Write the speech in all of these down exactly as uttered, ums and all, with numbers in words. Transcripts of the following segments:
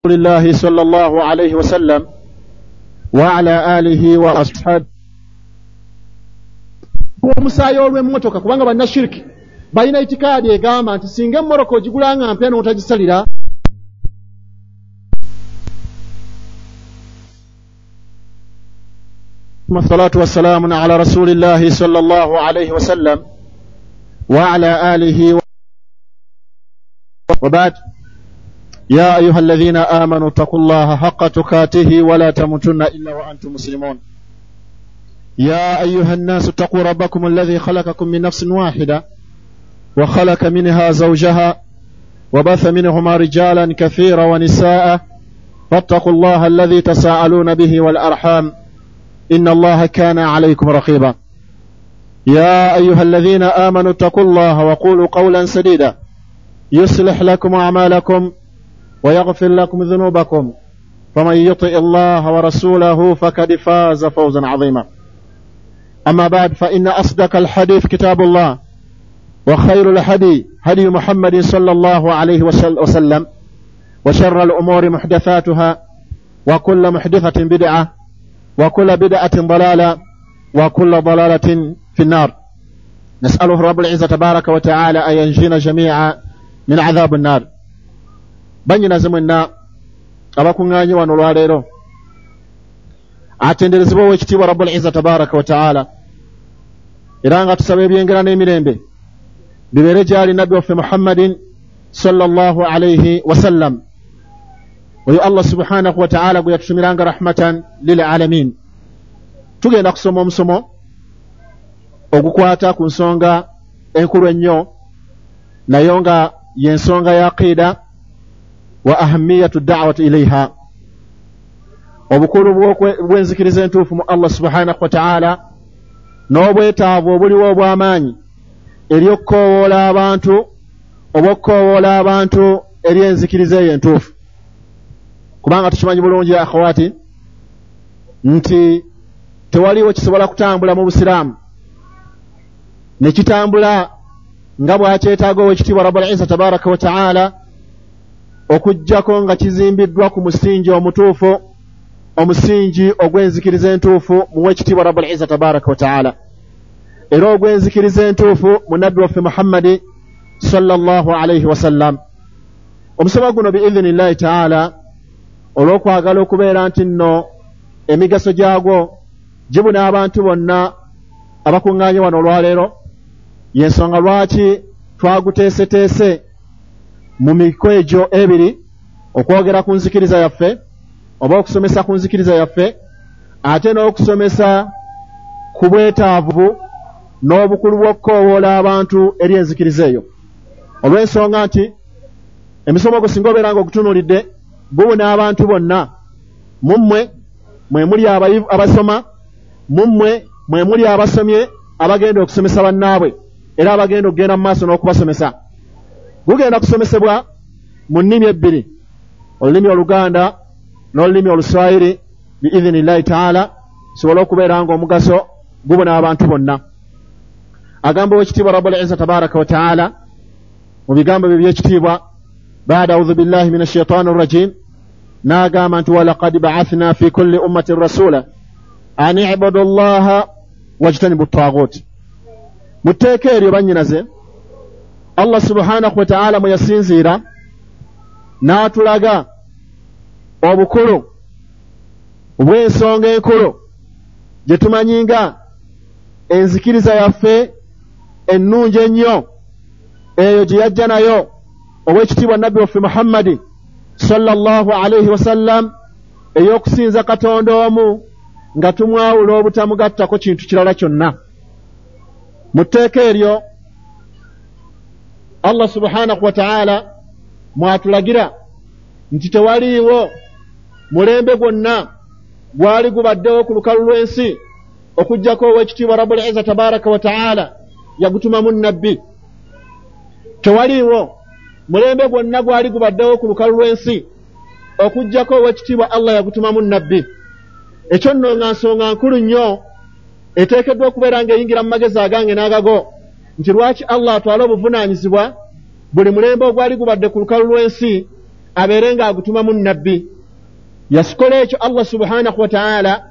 الله صلى الله عليه وسلم وعلى آله وأصحابه. Omusaayi olw'emmotoka, kubanga bannashiriki balina itikaadi egamba nti singa emmotoka ogigula nga mpya n'otagisalira الصلاة والسلام على رسول الله صلى الله عليه وسلم وعلى آله وبعد. يا أيها الذين آمنوا اتقوا الله حق تقاته ولا تموتن إلا وأنتم مسلمون. يا أيها الناس اتقوا ربكم الذي خلقكم من نفس واحدة وخلق منها زوجها وبث منهما رجالا كثيرا ونساء فاتقوا الله الذي تساءلون به والأرحام إن الله كان عليكم رقيبا. يا أيها الذين آمنوا اتقوا الله وقولوا قولا سديدا يصلح لكم أعمالكم ويغفر لكم ذنوبكم فمن يطع الله ورسوله فقد فاز فوزا عظيما. أما بعد، فإن أصدق الحديث كتاب الله، وخير الهدي هدي محمد صلى الله عليه وسلم، وشر الأمور محدثاتها، وكل محدثة بدعة، وكل بدعة ضلالة، وكل ضلالة في النار. نسأله رب العزة تبارك وتعالى أن ينجينا جميعا من عذاب النار. Banyina mwenna abakuŋŋaanye wano olwaleero, atenderezebwa ow'ekitiibwa Rabbul Izza tabaraka wa taala, era nga tusaba ebyengera n'emirembe bibeere gy'ali nabbi waffe Muhammadin sallallahu alayhi wasallam, oyo Allah subhanahu wa taala gwe yatutumiranga rahmatan lil alamin. Tugenda kusoma omusomo ogukwata ku nsonga enkulu ennyo, nayo nga y'ensonga ya aqida wa ahamiyatu da'wati ilayha, obukulu bw'enzikiriza entuufu mu Allah subhanahu wa ta'ala, n'obwetaavu obuliwo obw'amaanyi eri okukoowoola abantu oba okukoowoola abantu eri enzikiriza eyo entuufu. Kubanga tukimanyi bulungi akhawati nti tewaliwo kisobola kutambula mu Busiraamu ne kitambula nga bw'akyetaaga ow'ekitiibwa Rabbul Izza tabaraka wa ta'ala, okuggyako nga kizimbiddwa ku musingi omutuufu, omusingi ogw'enzikiriza entuufu mu w'ekitiibwa Rabbul Izza tabaraka wa ta'ala, era ogw'enzikiriza entuufu mu nabbi waffe Muhammadi sallallahu alayhi wasallam. Omusomo guno biidhinillahi ta'ala, olw'okwagala okubeera nti nno emigaso gyagwo gibuna abantu bonna abakuŋŋaanye wano olwaleero, y'ensonga lwaki twaguteeseteese mu miko egyo ebiri, okwogera ku nzikiriza yaffe oba okusomesa ku nzikiriza yaffe, ate n'okusomesa ku bwetaavu n'obukulu bw'okukoowoola abantu eri enzikiriza eyo. Olw'ensonga nti emisomo gwo singa obeera nga ogutunuulidde gubuna abantu bonna, mu mmwe mwe muli abasoma, mu mmwe mwe muli abasomye abagenda okusomesa bannaabwe era abagenda okugenda mu maaso n'okubasomesa. Gugenda kusomesebwa mu nnimi ebbiri, olulimi Oluganda n'olulimi Oluswahili biidhinillahi taala, sobole okubeera nga omugaso gubuna abantu bonna. Agamba ow'ekitiibwa Rabbul Izza tabaraka wa taala mu bigambo bye eby'ekitiibwa, baada audhu billahi min ashaitani rrajim, n'agamba nti walaqad ba'athna fi kulli ummatin rasula an ibudu llaha wajtanibu ttaagut. Mu tteeka eryo bannyinaze, Allah subhanahu wa ta'ala mwe yasinziira n'atulaga obukulu obw'ensonga enkulu gye tumanyi nga enzikiriza yaffe ennungi ennyo, eyo gye yajja nayo ow'ekitiibwa nabbi waffe Muhammadi sallallahu alayhi wasallam, ey'okusinza Katonda omu nga tumwawula obutamugattako kintu kirala kyonna. Mu tteeka eryo Allah subhanahu wa ta'ala mwatulagira nti tewaliiwo mulembe gwonna gwali gubaddewo ku lukalu lw'ensi okuggyako ow'ekitiibwa Rabbul Izza tabaraka wa ta'ala yagutumamu nabbi. Tewaliiwo mulembe gwonna gwali gubaddewo ku lukalu lw'ensi okuggyako ow'ekitiibwa Allah yagutumamu nabbi. Ekyo nno nga nsonga nkulu nnyo eteekeddwa okubeera ng'eyingira mu magezi agange n'agago, nti lwaki Allah atwala obuvunaanyizibwa buli mulembe ogwali gubadde ku lukalu lw'ensi abeere ng'agutumamu nabbi. Yasikola ekyo Allah subhanahu wa ta'ala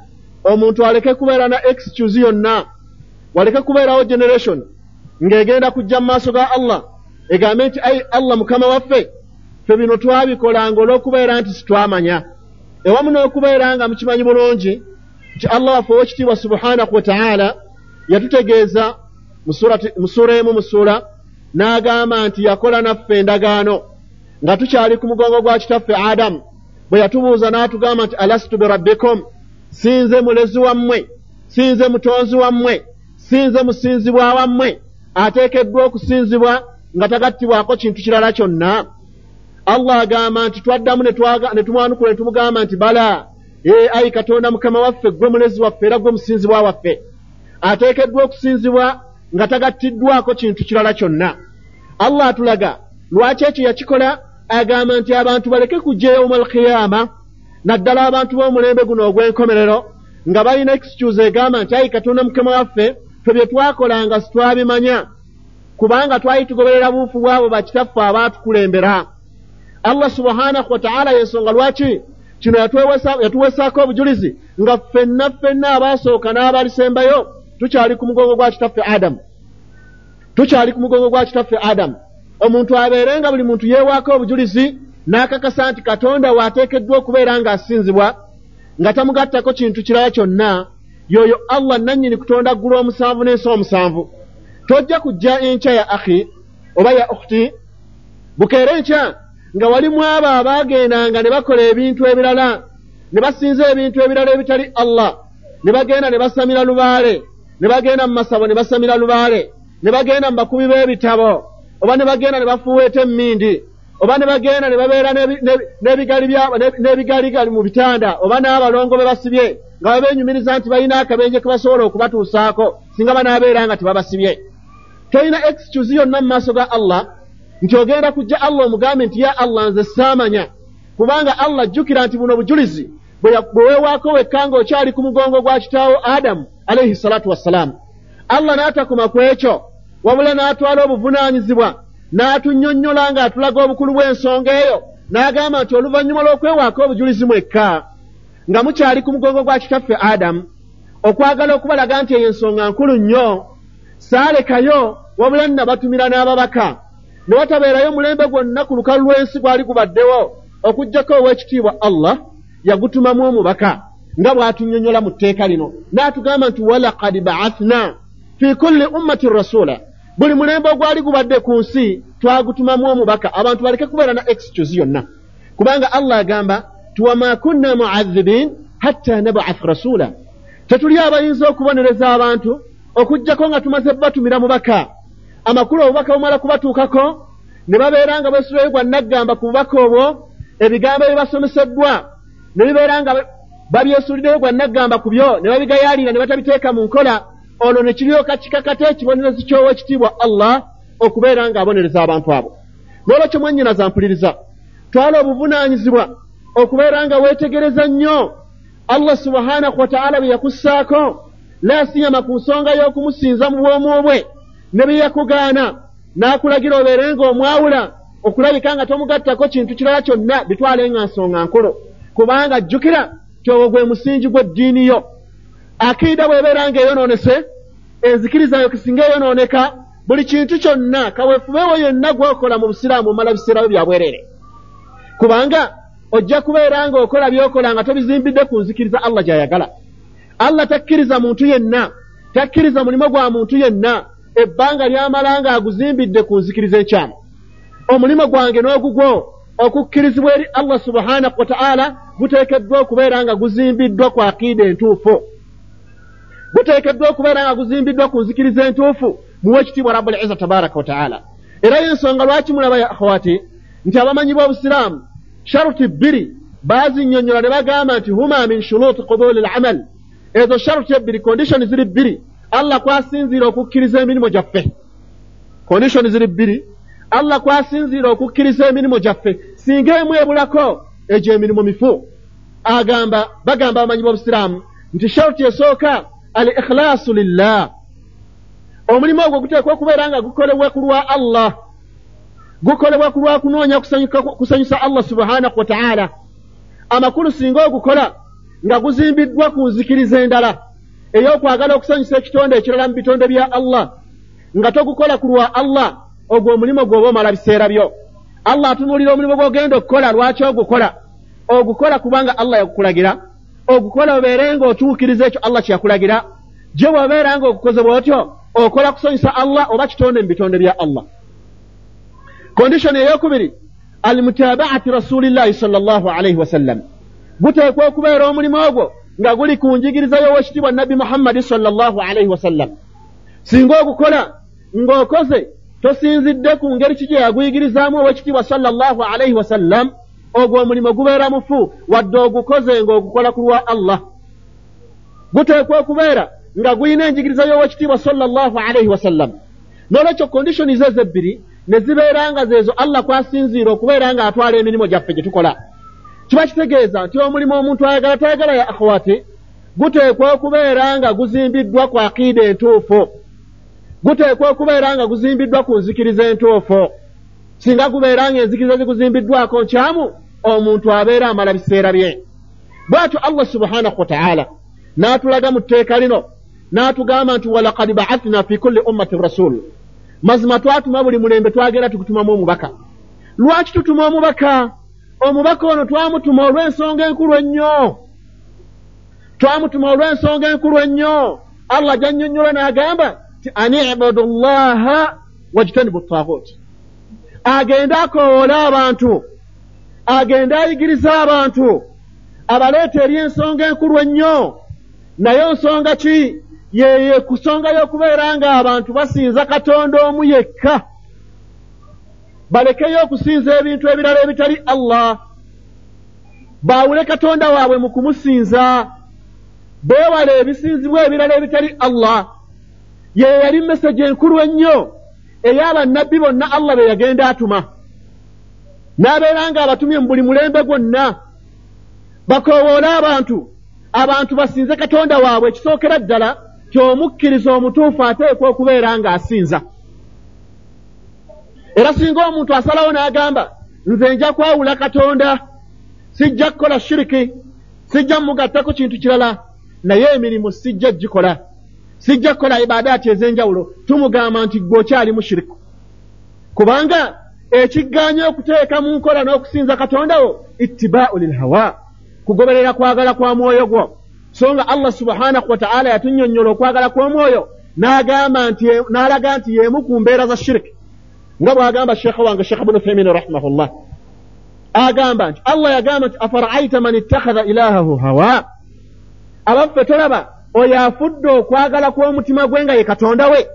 omuntu aleke kubeera na excuse yonna, waleke kubeerawo generation ng'egenda kujja mu maaso ga Allah egambe nti ai Allah mukama waffe, ffe bino twabikolanga olw'okubeera nti sitwamanya. Ewamu n'okubeera nga mukimanyi bulungi nti Allah waffe ow'ekitiibwa subhanahu wa ta'ala yatutegeeza mu ssuula emu mu ssuula n'agamba nti yakola naffe endagaano nga tukyali ku mugongo gwa kitaffe Adamu, bwe yatubuuza n'atugamba nti alastu birabbikum, sinze mulezi wammwe, sinze mutonzi wammwe, sinze musinzibwa wammwe ateekeddwa okusinzibwa nga tagattibwako kintu kirala kyonna. Allah agamba nti twaddamu ne tumwanukula ne tumugamba nti bala, ee ayi Katonda mukama waffe, ggwe mulezi waffe era ggwe musinzibwa waffe ateekeddwa okusinzibwa nga tagattiddwako kintu kirala kyonna. Allah atulaga lwaki ekyo yakikola, agamba nti abantu baleke kujja yawmal qiyama, naddala abantu b'omulembe guno ogw'enkomerero nga balina excuse egamba nti ayi Katonda mukama waffe, ffe bye twakolanga sitwabimanya kubanga twali tugoberera buufu bwabo bakitaffe abaatukulembera. Allah subhanahu wa ta'ala yensonga lwaki kino yatuwesaako obujulizi nga ffenna ffenna abaasooka n'abalisembayo tukyali ku mugongo gwa kitaffe Adamu, tukyali ku mugongo gwa kitaffe Adamu. Omuntu abeere nga buli muntu yeewaako obujulizi n'akakasa nti Katonda waateekeddwa okubeera ng'asinzibwa nga tamugattako kintu kirala kyonna, yoyo Allah nannyini kutonda ggulu omusanvu n'ensi omusanvu. Tojja kujja enkya ya akhi oba ya ukhti bukeere enkya nga walimu abo abaagendanga ne bakola ebintu ebirala ne basinza ebintu ebirala ebitali Allah, ne bagenda ne basamira lubaale, ne bagenda mu masabo ne basamira lubaale, ne bagenda mu bakubi b'ebitabo, oba ne bagenda ne bafuweeta emmindi, oba ne bagenda ne babeera n'ebigaligali mu bitanda, oba n'abalongo be basibye nga babeenyumiriza nti balina akabenje ke basobola okubatuusaako singa banaabeera nga tebabasibye. Tolina excuse yonna mu maaso ga Allah nti ogenda kujja Allah omugambe nti ya Allah nze saamanya, kubanga Allah jjukira nti buno bujulizi bwe weewaako wekka ng'okyali ku mugongo gwa kitaawo Adamu alayhi salatu wassalaamu. Allah n'atakoma ku ekyo, wabula n'atwala obuvunaanyizibwa n'atunnyonnyola ng'atulaga obukulu bw'ensonga eyo, n'agamba nti oluvannyuma lw'okwewaako obujulizi mwekka nga mukyali ku mugongo gwa kitaffe Adamu, okwagala okubalaga nti eyo ensonga nkulu nnyo, saalekayo wabula nnabatumira n'ababaka ne watabeerayo omulembe gwonna ku lukalu lw'ensi gwali gubaddewo okuggyako ow'ekitiibwa Allah yagutumamu omubaka nga bw'atunnyonnyola mu tteeka lino n'atugamba nti walaqad ba'athna fi kulli ummatin rasula, buli mulembe ogwali gubadde ku nsi twagutumamu omubaka, abantu baleke kubeera na excuse yonna, kubanga Allah agamba nti wama kunna mu'adhibin hatta nab'ath rasula, tetuli abayinza okubonereza abantu okuggyako nga tumaze batumira mubaka. Amakulu obubaka bumala kubatuukako ne babeera nga bwesuulayo gwa naggamba ku bubaka obwo, ebigambo ebibasomeseddwa ne bibeera nga babyesuuliddeyo gwa naggamba ku byo ne babigayaalira ne batabiteeka mu nkola, olwo ne kiryoka kikakata ekibonerezo ky'owekitiibwa Allah okubeera ng'abonereza abantu abo. N'olwekyo mwannyinaza mpuliriza, twala obuvunaanyizibwa okubeera nga weetegereza nnyo Allah subhanahu wa ta'ala bye yakussaako, la siyama ku nsonga y'okumusinza mu bwomu bwe ne bye yakugaana n'akulagira obeere ng'omwawula okulabika nga tomugattako kintu kirala kyonna, bitwale nga nsonga nkulu, kubanga jjukira nti ogwo gwe musingi gw'eddiini yo. Akiida bw'ebeera ng'eyonoonese, enzikiriza yo kisinga eyonooneka, buli kintu kyonna kaweefubeewo yenna gw'okola mu busiraamu omala biseera byo bya bwereere, kubanga ojja kubeera ng'okola by'okola nga tobizimbidde ku nzikiriza Allah gy'ayagala. Allah takkiriza muntu yenna, takkiriza mulimu gwa muntu yenna ebbanga ly'amala ng'aguzimbidde ku nzikiriza enkyamu. Omulimu gwange n'ogugwo okukkirizibwa eri Allah subhanahu wa ta'ala guteekeddwa okubeera nga guzimbiddwa ku akiida entuufu, guteekeddwa okubeera nga guzimbiddwa ku nzikiriza entuufu muwe ekitiibwa Rabbul Izza tabaraka wa ta'ala. Era y'ensonga lwaki mulaba ya akhawati nti abamanyi b'obusiraamu sharuti bbiri baazinnyonnyola ne bagamba nti huma min shuruti qubuli al-amal, ezo sharuti ebbiri, condition ziri bbiri Allah kwasinziira okukkiriza emirimu gyaffe. Condition ziri bbiri Allah kwasinziira okukkiriza emirimu gyaffe, singa emu ebulako egyo emirimu mifu. Agamba bagamba abamanyi b'obusiraamu nti sharuti esooka al-ikhlaasu lillah, omulimu ogwo guteekwa okubeera nga gukolebwa ku lwa Allah. Gukolebwa ku lwa kunoonya kusanyusa Allah subhanahu wa ta'ala. Amakulu singa ogukola nga guzimbiddwa ku nzikiriza endala ey'okwagala okusanyusa ekitonde ekirala mu bitonde bya Allah, nga togukola ku lwa Allah, ogwo omulimu gw'oba omala biseera byo. Allah atunuulira omulimu gw'ogenda okukola, lwaki ogukola? Ogukola kubanga Allah yakukulagira. Ogukola obeere ng'otuukiriza ekyo Allah kye yakulagira. Gye bw'obeera ng'ogukoze bw'otyo, okola kusanyusa Allah oba kitonde mu bitonde bya Allah. Condition ey'okubiri, almutabaati rasulillahi sallallahu alaihi wasallam. Guteekwa okubeera omulimu ogwo nga guli ku njigiriza y'owekitiibwa Nabbi Muhammadi sallallahu alaihi wasallam. Singa ogukola ng'okoze tosinzidde ku ngeri ki gye yaguyigirizaamu owekitiibwa sallallahu alaihi wasallam, ogwo omulimu gubeera mufu wadde ogukoze ng'ogukola ku lwa Allah. Guteekwa okubeera nga gulina enjigiriza y'owekitiibwa sallallahu alaihi wasallam. N'olwekyo condition ezo ebbiri ne zibeera nga zeezo Allah kwasinziira okubeera nga atwala emirimu gyaffe gye tukola. Kiba kitegeeza nti omulimu omuntu ayagala tayagala ya akhwati, guteekwa okubeera nga guzimbiddwa ku aqiida entuufu, guteekwa okubeera nga guzimbiddwa ku nzikiriza entuufu. Singa gubeera nga enzikiriza ziguzimbiddwako nkyamu, omuntu abeera amala biseera bye. Bw'atyo Allah subhanahu wa ta'ala n'atulaga mu tteeka lino n'atugamba nti walaqad ba'athna fi kulli ummatin rasul. Mazima twatuma buli mulembe twagenda tukutumamu omubaka. Lwaki tutuma omubaka? Omubaka ono twamutuma olw'ensonga enkulu ennyo. Twamutuma olw'ensonga enkulu ennyo. Allah gy'annyonnyola n'agamba nti ani ibudu llaha wajtanibu ttaaghut. Agende akoowole abantu, agende ayigiriza abantu, abaleeta eri ensonga enkulu ennyo. Naye nsonga ki? Yeye ku nsonga y'okubeera nga abantu basinza Katonda omu yekka, balekeyo okusinza ebintu ebirala ebitali Allah, baawule Katonda waabwe mu kumusinza, beewale ebisinzibwa ebirala ebitali Allah. Ye yali meseji enkulu ennyo ey'abannabbi bonna Allah be yagenda atuma, n'abeera nga abatumye mu buli mulembe gwonna, bakoowoole abantu, abantu basinze Katonda waabwe. Ekisookera ddala ky'omukkiriza omutuufu ateekwa okubeera ng'asinza. Era singa omuntu asalawo n'agamba nze nja kwawula Katonda, sijja kukola shiriki, sijja mugattako kintu kirala, naye emirimu sijja gikola, sijja kukola ibaadaati ez'enjawulo, tumugamba nti ggwe okyali mushiriku, kubanga ekiggaanya okuteeka mu nkola n'okusinza Katonda wo ittibaa'u lilhawa, kugoberera kwagala kwa mwoyo gwo. So nga Allah subhanahu wa ta'ala yatunnyonnyola okwagala kw'omwoyo n'agamba nti n'alaga nti y'emu ku mbeera za shiriki, nga bw'agamba sheekha wange Sheekh Ibn Uthaymin rahimahullah, agamba nti Allah yagamba nti afara'aita man ittakhadha ilahahu hawa, abaffe tolaba oyo afudde okwagala kw'omutima gwe nga ye Katonda we.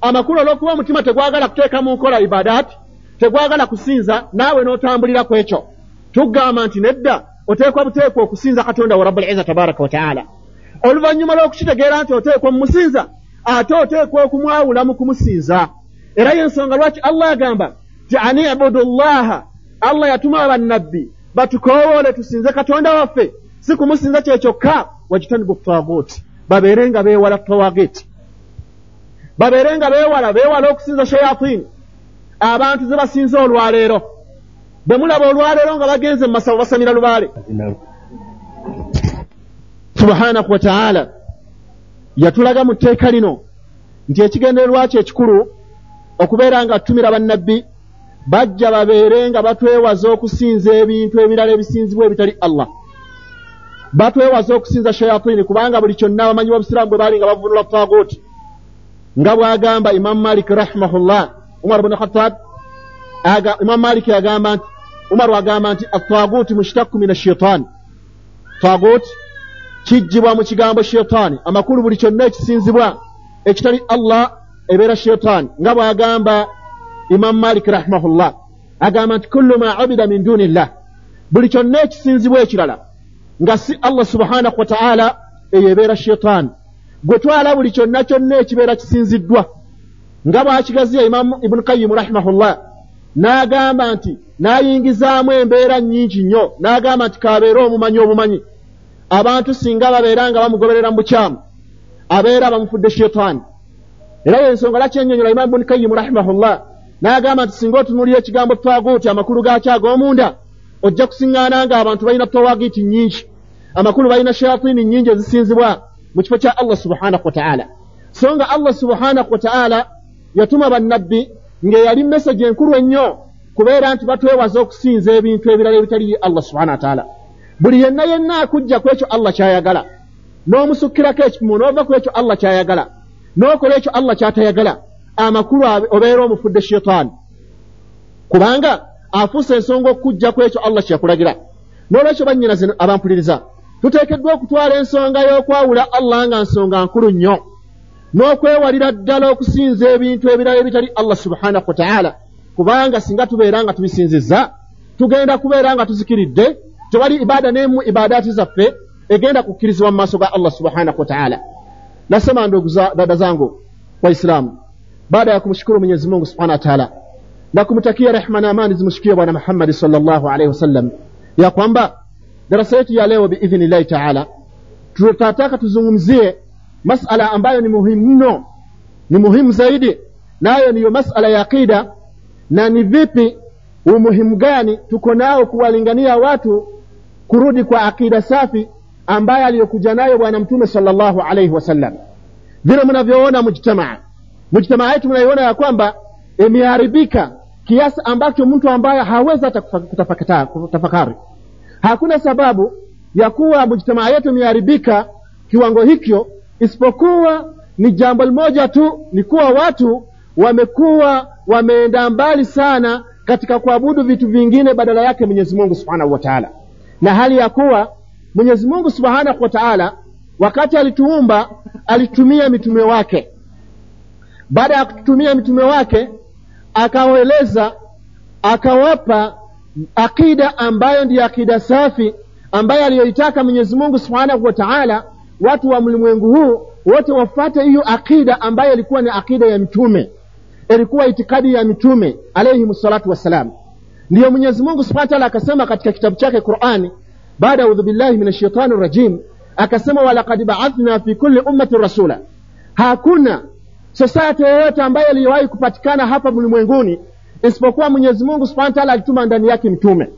Amakulu olw'okuba omutima tegwagala kuteeka mu nkola ibadaati, tegwagala kusinza, naawe n'otambulira ku ekyo, tugamba nti nedda, oteekwa buteekwa okusinza Katonda wa Rabbul Izza tabaraka wa ta'ala. Oluvannyuma lw'okukitegeera nti oteekwa mumusinza, ate oteekwa okumwawula mu kumusinza. Era y'ensonga lwaki Allah agamba nti ani ibudu llaha, Allah yatuma abannabbi batukoowoole tusinze Katonda waffe, si kumusinza kye kyokka, wajtanibu ttaaghut, babeere nga beewala tawagit, babeere nga beewala beewala okusinza shayatini, abantu ze basinza olwaleero. Bwe mulaba olwaleero nga bagenze mu masabo basamira lubaale. Subhanahu wa ta'ala yatulaga mu tteeka lino nti ekigendererwa kye ekikulu okubeera nga tutumira bannabbi bajja babeere nga batwewaza okusinza ebintu ebirala ebisinzibwa ebitali Allah, batwewaza okusinza shayatini, kubanga buli kyonna abamanyi b'obusiraamu bwe baali nga bavunula taaguti, nga bw'agamba Imam Malik rahimahullah, Umar ibn Khattab aga Imam Malik agamba nti Umar agamba nti at-taaguti mushtaqqu min ash-shaytan, taagut kijjibwa mu kigambo shaytani. Amakulu buli kyonna ekisinzibwa ekitali Allah ebeera shaytani, nga bw'agamba Imam Malik rahimahullah, agamba nti kullu ma ubida min dunillah, buli kyonna ekisinzibwa ekirala nga si Allah subhanahu wa ta'ala eyo ebeera shaytani. Gwe twala buli kyonna kyonna ekibeera kisinziddwa, nga bw'akigaziya Imam Ibn Qayyim rahimahullah n'agamba nti n'ayingizaamu embeera nnyingi nnyo, n'agamba nti k'abeere omumanyi obumanyi, abantu singa babeera nga bamugoberera mu bukyamu abeera bamufudde shaytani. Era y'ensonga lwaki ennyonnyola Imam Ibn Qayyim rahimahullah N'agamba nti singa otunuulira ekigambo twaguuti amakulu gaakyo ag'omunda, ojja kusiŋŋaana nga abantu balina tawagiti nnyingi, amakulu balina shayatini nnyingi ezisinzibwa mu kifo kya Allah subhanahu wa ta'ala. So nga Allah subhanahu wa ta'ala yatuma bannabbi ng'eyali message enkulu ennyo kubeera nti batwewaza okusinza ebintu ebirala ebitali Allah subhanahu wa ta'ala. Buli yenna yenna akujja ku ekyo Allah ky'ayagala, n'omusukkirako ekipimo n'ova ku ekyo Allah ky'ayagala, n'okola ekyo Allah ky'atayagala, amakulu obeera omufudde shaytaani, kubanga afuuse ensonga okujja ku ekyo Allah kyeyakulagira. N'olwekyo bannyinaze abampuliriza, tuteekeddwa okutwala ensonga y'okwawula Allah nga nsonga nkulu nnyo, n'okwewalira ddala okusinza ebintu ebirala ebitali Allah subhanahu wa ta'ala, kubanga singa tubeera nga tubisinzizza tugenda kubeera nga tuzikiridde. Tewali ibada n'emu ibadaati zaffe egenda kukkirizibwa mu maaso ga Allah subhanahu wa ta'ala. Nasema ndugu za dada zangu Waislamu, baada ya kumshukuru Mwenyezi Mungu subhanahu wa ta'ala na kumtakia rehma na amani zimshikie Bwana Muhammad sallallahu alaihi wasallam, ya kwamba darasa yetu ya leo biidhnillahi ta'ala tutataka tuzungumzie masala ambayo ni muhimu mno, ni muhimu zaidi, nayo niyo masala ya aqida, na ni vipi umuhimu gani tuko nao kuwalingania watu kurudi kwa akida safi ambaye aliyokuja nayo Bwana Mtume sallallahu alaihi wasallam. Vile mnavyoona mujtamaa, mujtamaa yetu mnaiona ya kwamba imeharibika kiasi ambacho mtu ambaye hawezi hata kutafakari. Hakuna sababu ya kuwa mujtamaa yetu imeharibika kiwango hicho isipokuwa ni jambo moja tu, ni kuwa watu wamekuwa wameenda mbali sana katika kuabudu vitu vingine badala yake Mwenyezi Mungu Subhanahu wa Ta'ala. Na hali ya kuwa Mwenyezi Mungu Subhanahu wa Ta'ala wakati alituumba alitumia mitume wake. Baada ya kutumia mitume wake akawaeleza, akawapa akida ambayo ndiyo akida safi ambayo aliyoitaka Mwenyezi Mungu Subhanahu wa Ta'ala watu wa mlimwengu huu wote wafuate hiyo akida ambayo ilikuwa ni akida ya mitume, ilikuwa itikadi ya mitume alayhi salatu wassalam. Ndiyo Mwenyezi Mungu Subhanahu wa Ta'ala akasema katika kitabu chake Qur'ani, baada a'udhu billahi minash shaitani rajim, akasema walaqad ba'athna fi kulli ummatin rasula. Hakuna society yoyote ambayo iliwahi kupatikana hapa mlimwenguni isipokuwa Mwenyezi Mungu Subhanahu wa Ta'ala alituma ndani yake mtume.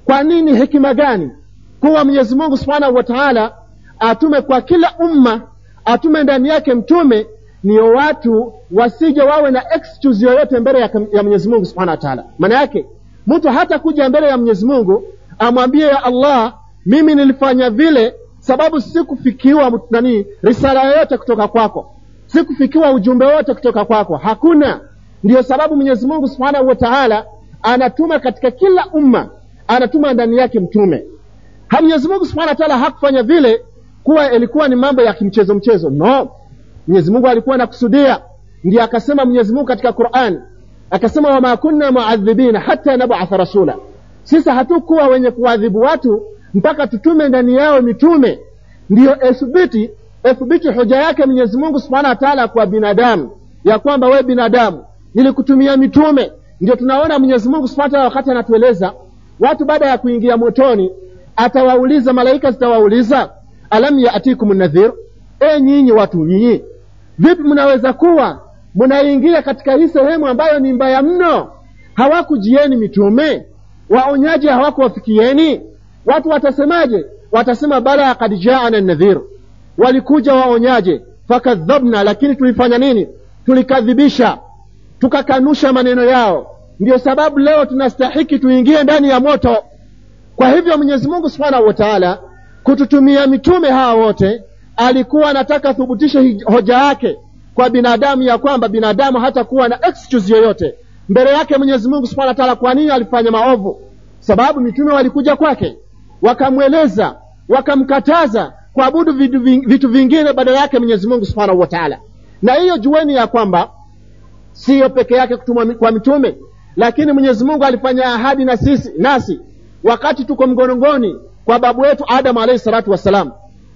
Kwa nini? Hekima gani kuwa Mwenyezi Mungu Subhanahu wa Ta'ala atume kwa kila umma, atume ndani yake mtume? Ni watu wasije wawe na excuse yoyote mbele ya, ya Mwenyezi Mungu Subhanahu wa Ta'ala. Maana yake mtu hata kuja mbele ya Mwenyezi Mungu amwambie ya Allah, mimi nilifanya vile sababu sikufikiwa nani risala yoyote kutoka kwako, sikufikiwa ujumbe wote kutoka kwako. Hakuna. Ndiyo sababu Mwenyezi Mungu Subhanahu wa Ta'ala anatuma katika kila umma, anatuma ndani yake mtume. Ha, Mwenyezi Mungu Subhanahu wa Ta'ala hakufanya vile kuwa ilikuwa ni mambo ya kimchezo mchezo. No, Mwenyezi Mungu alikuwa anakusudia. Ndiyo akasema Mwenyezi Mungu katika Qur'an, akasema wama kunna mu'adhibina hatta nab'atha rasula, sisi hatukuwa wenye kuadhibu watu mpaka tutume ndani yao mitume. Ndiyo ethibiti ethibiti hoja yake Mwenyezi Mungu Subhanahu wa Ta'ala kwa binadamu ya kwamba we binadamu nilikutumia mitume. Ndio tunaona Mwenyezi Mungu Subhanahu wa Ta'ala wakati anatueleza watu baada ya kuingia motoni atawauliza, malaika zitawauliza, alam yaatikum nadhir, e nyinyi watu nyinyi vipi mnaweza kuwa mnaingia katika hii sehemu ambayo ni mbaya mno? Hawakujieni mitume? Waonyaji hawakuwafikieni? Watu watasemaje? Watasema bala qad jaana nadhir, walikuja waonyaje, fakadhabna, lakini tulifanya nini? Tulikadhibisha, tukakanusha maneno yao. Ndiyo sababu leo tunastahiki tuingie ndani ya moto. Kwa hivyo Mwenyezi Mungu Subhanahu wa Ta'ala kututumia mitume hawa wote alikuwa anataka thubutishe hoja yake kwa binadamu ya kwamba binadamu hata kuwa na excuse yoyote mbele yake Mwenyezi Mungu Subhanahu wa Ta'ala kwa nini alifanya maovu. Sababu mitume walikuja kwake wakamweleza, wakamkataza kuabudu vitu, vitu vingine badala yake Mwenyezi Mungu Subhanahu wa Ta'ala. Na hiyo jueni ya kwamba sio peke yake kutumwa kwa mitume, lakini Mwenyezi Mungu alifanya ahadi na sisi nasi wakati tuko mgonongoni kwa babu wetu Adam alayhi salatu wasalam.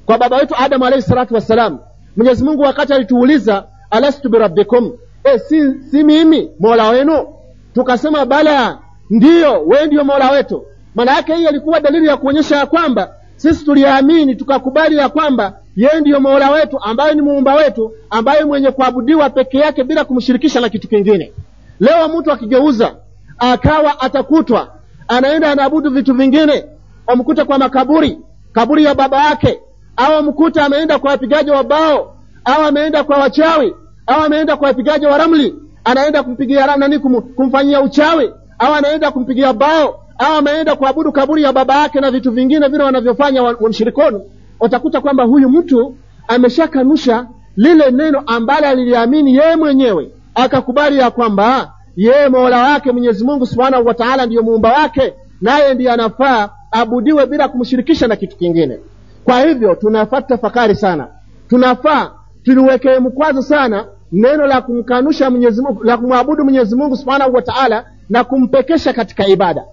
Kwa baba wetu Adam alayhi salatu wasalam, Mwenyezi Mungu wakati alituuliza alastu birabbikum, e, si, si mimi Mola wenu? Tukasema bala, ndiyo, wewe ndiyo Mola wetu. Maana yake hii ilikuwa dalili ya kuonyesha ya kwamba sisi tuliamini tukakubali ya kwamba yeye ndiyo Mola wetu ambaye ni muumba wetu, ambaye mwenye kuabudiwa peke yake bila kumshirikisha na kitu kingine. Leo mtu akigeuza akawa atakutwa anaenda anaabudu vitu vingine, amkuta kwa makaburi, kaburi ya baba yake, au amkuta ameenda kwa wapigaji wa bao, au ameenda kwa wachawi, au ameenda kwa wapigaji wa ramli, anaenda kumpigia nani, kumfanyia uchawi, au anaenda kumpigia bao, au ameenda kuabudu kaburi ya baba yake na vitu vingine vile wanavyofanya wamshirikoni. Utakuta kwamba huyu mtu ameshakanusha lile neno ambalo aliliamini yeye mwenyewe, akakubali ya kwamba yeye Mola wake Mwenyezi Mungu Subhanahu wa Ta'ala ndiyo muumba wake, naye ndiye anafaa abudiwe bila kumshirikisha na kitu kingine. Kwa hivyo tunafaa tafakari sana, tunafaa tuliwekee mkwazo sana neno la kumkanusha Mwenyezi Mungu, la kumwabudu Mwenyezi Mungu Subhanahu wa Ta'ala na kumpekesha katika ibada,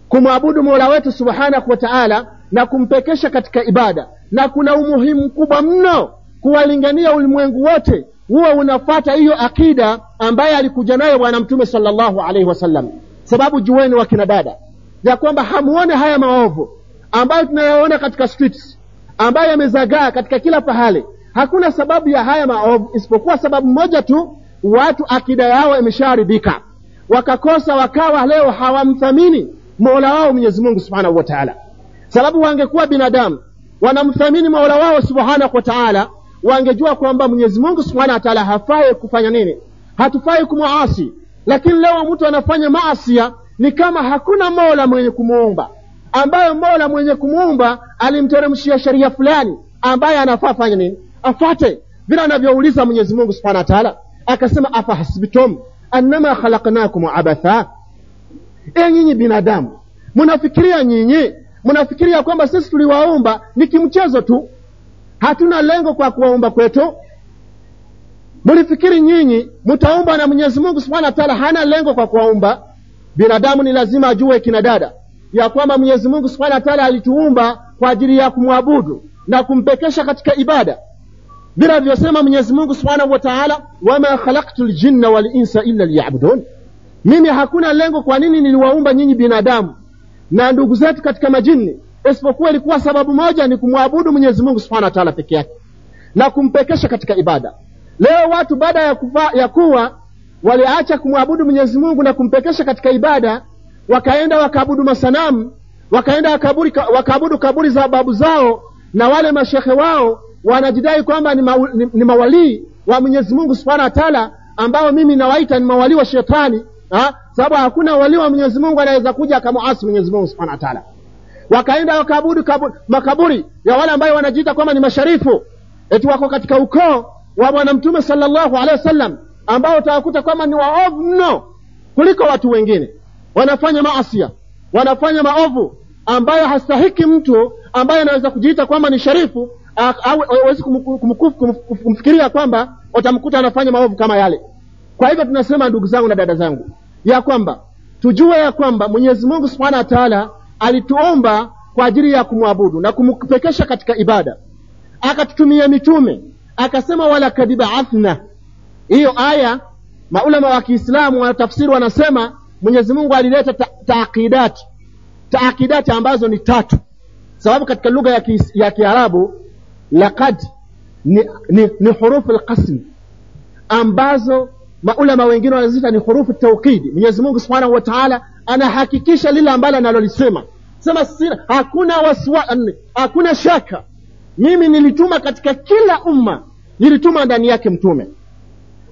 kumwabudu Mola wetu Subhanahu wa Ta'ala na kumpekesha katika ibada. Na kuna umuhimu mkubwa mno kuwalingania ulimwengu wote huwa unafata hiyo akida ambaye alikuja nayo Bwana Mtume sallallahu alaihi wasallam. Sababu jueni wakina dada ya kwamba hamuone haya maovu ambayo tunayaona katika streets, ambayo yamezagaa katika kila pahali. Hakuna sababu ya haya maovu isipokuwa sababu moja tu, watu akida yao imeshaharibika, wakakosa, wakawa leo hawamthamini Mola wao Mwenyezi Mungu Subhanahu wa Ta'ala. Sababu wangekuwa binadamu wanamthamini Mola wao Subhanahu wa Ta'ala, wangejua kwamba Mwenyezi Mungu Subhanahu wa Ta'ala hafai kufanya nini, hatufai kumuasi. Lakini leo mtu anafanya maasi ni kama hakuna Mola mwenye kumuumba, ambaye Mola mwenye kumuumba alimteremshia sheria fulani ambaye anafaa fanya nini, afate vile anavyouliza Mwenyezi Mungu Subhanahu wa Ta'ala. Akasema, afahasibtum annama khalaqnakum abatha, e nyinyi binadamu mnafikiria nyinyi mnafikiria kwamba sisi tuliwaumba ni kimchezo tu, hatuna lengo kwa kuwaumba kwetu? Mlifikiri nyinyi mtaumba na Mwenyezi Mungu Subhanahu wa Ta'ala hana lengo kwa kuwaumba? Binadamu ni lazima ajue kina dada ya kwamba Mwenyezi Mungu Subhanahu wa Ta'ala alituumba kwa ajili ya kumwabudu na kumpekesha katika ibada, bila alivyosema Mwenyezi Mungu Subhanahu wa Ta'ala, wama khalaqtul jinna wal insa illa liya'budun. Mimi hakuna lengo kwa nini niliwaumba nyinyi binadamu na ndugu zetu katika majini, isipokuwa ilikuwa sababu moja, ni kumwabudu Mwenyezi Mungu Subhanahu wa Ta'ala peke yake na kumpekesha katika ibada. Leo watu baada ya kufa, ya kuwa waliacha kumwabudu Mwenyezi Mungu na kumpekesha katika ibada, wakaenda wakaabudu masanamu, wakaenda wakaburi, wakaabudu kaburi za babu zao, na wale mashehe wao wanajidai kwamba ni, ma, ni, ni mawalii wa Mwenyezi Mungu Subhanahu wa Ta'ala, ambao mimi nawaita ni mawalii wa shetani, ha? Sababu hakuna wali wa Mwenyezi Mungu anaweza kuja akamuasi Mwenyezi Mungu Subhanahu wa Ta'ala. Wakaenda wakaabudu kaburi, makaburi ya wale ambao wanajiita kwamba ni masharifu, eti wako katika ukoo wa Bwana Mtume sallallahu alaihi wasallam, ambao utawakuta kwamba ni waovu mno kuliko watu wengine. Wanafanya maasi, wanafanya maovu ambayo hastahiki mtu ambaye anaweza kujiita kwamba ni sharifu, au hawezi kumfikiria kwamba utamkuta anafanya maovu kama yale. Kwa hivyo tunasema ndugu zangu na dada zangu ya kwamba tujue ya kwamba Mwenyezi Mungu Subhanahu wa Ta'ala alituomba kwa ajili ya kumwabudu na kumpekesha katika ibada, akatutumia mitume, akasema wala kadibaathna. Hiyo aya maulama wa Kiislamu wanatafsiri wanasema Mwenyezi Mungu alileta ta taakidat, taakidat ambazo ni tatu. Sababu katika lugha ya ya Kiarabu laqad ni, ni, ni hurufu alqasm ambazo maulama wengine wanaziita ni hurufu tawkidi. Mwenyezi Mungu Subhanahu wa Ta'ala anahakikisha lile ambalo analolisema. Sema sina, hakuna waswa, hakuna shaka, mimi nilituma katika kila umma, nilituma ndani yake mtume.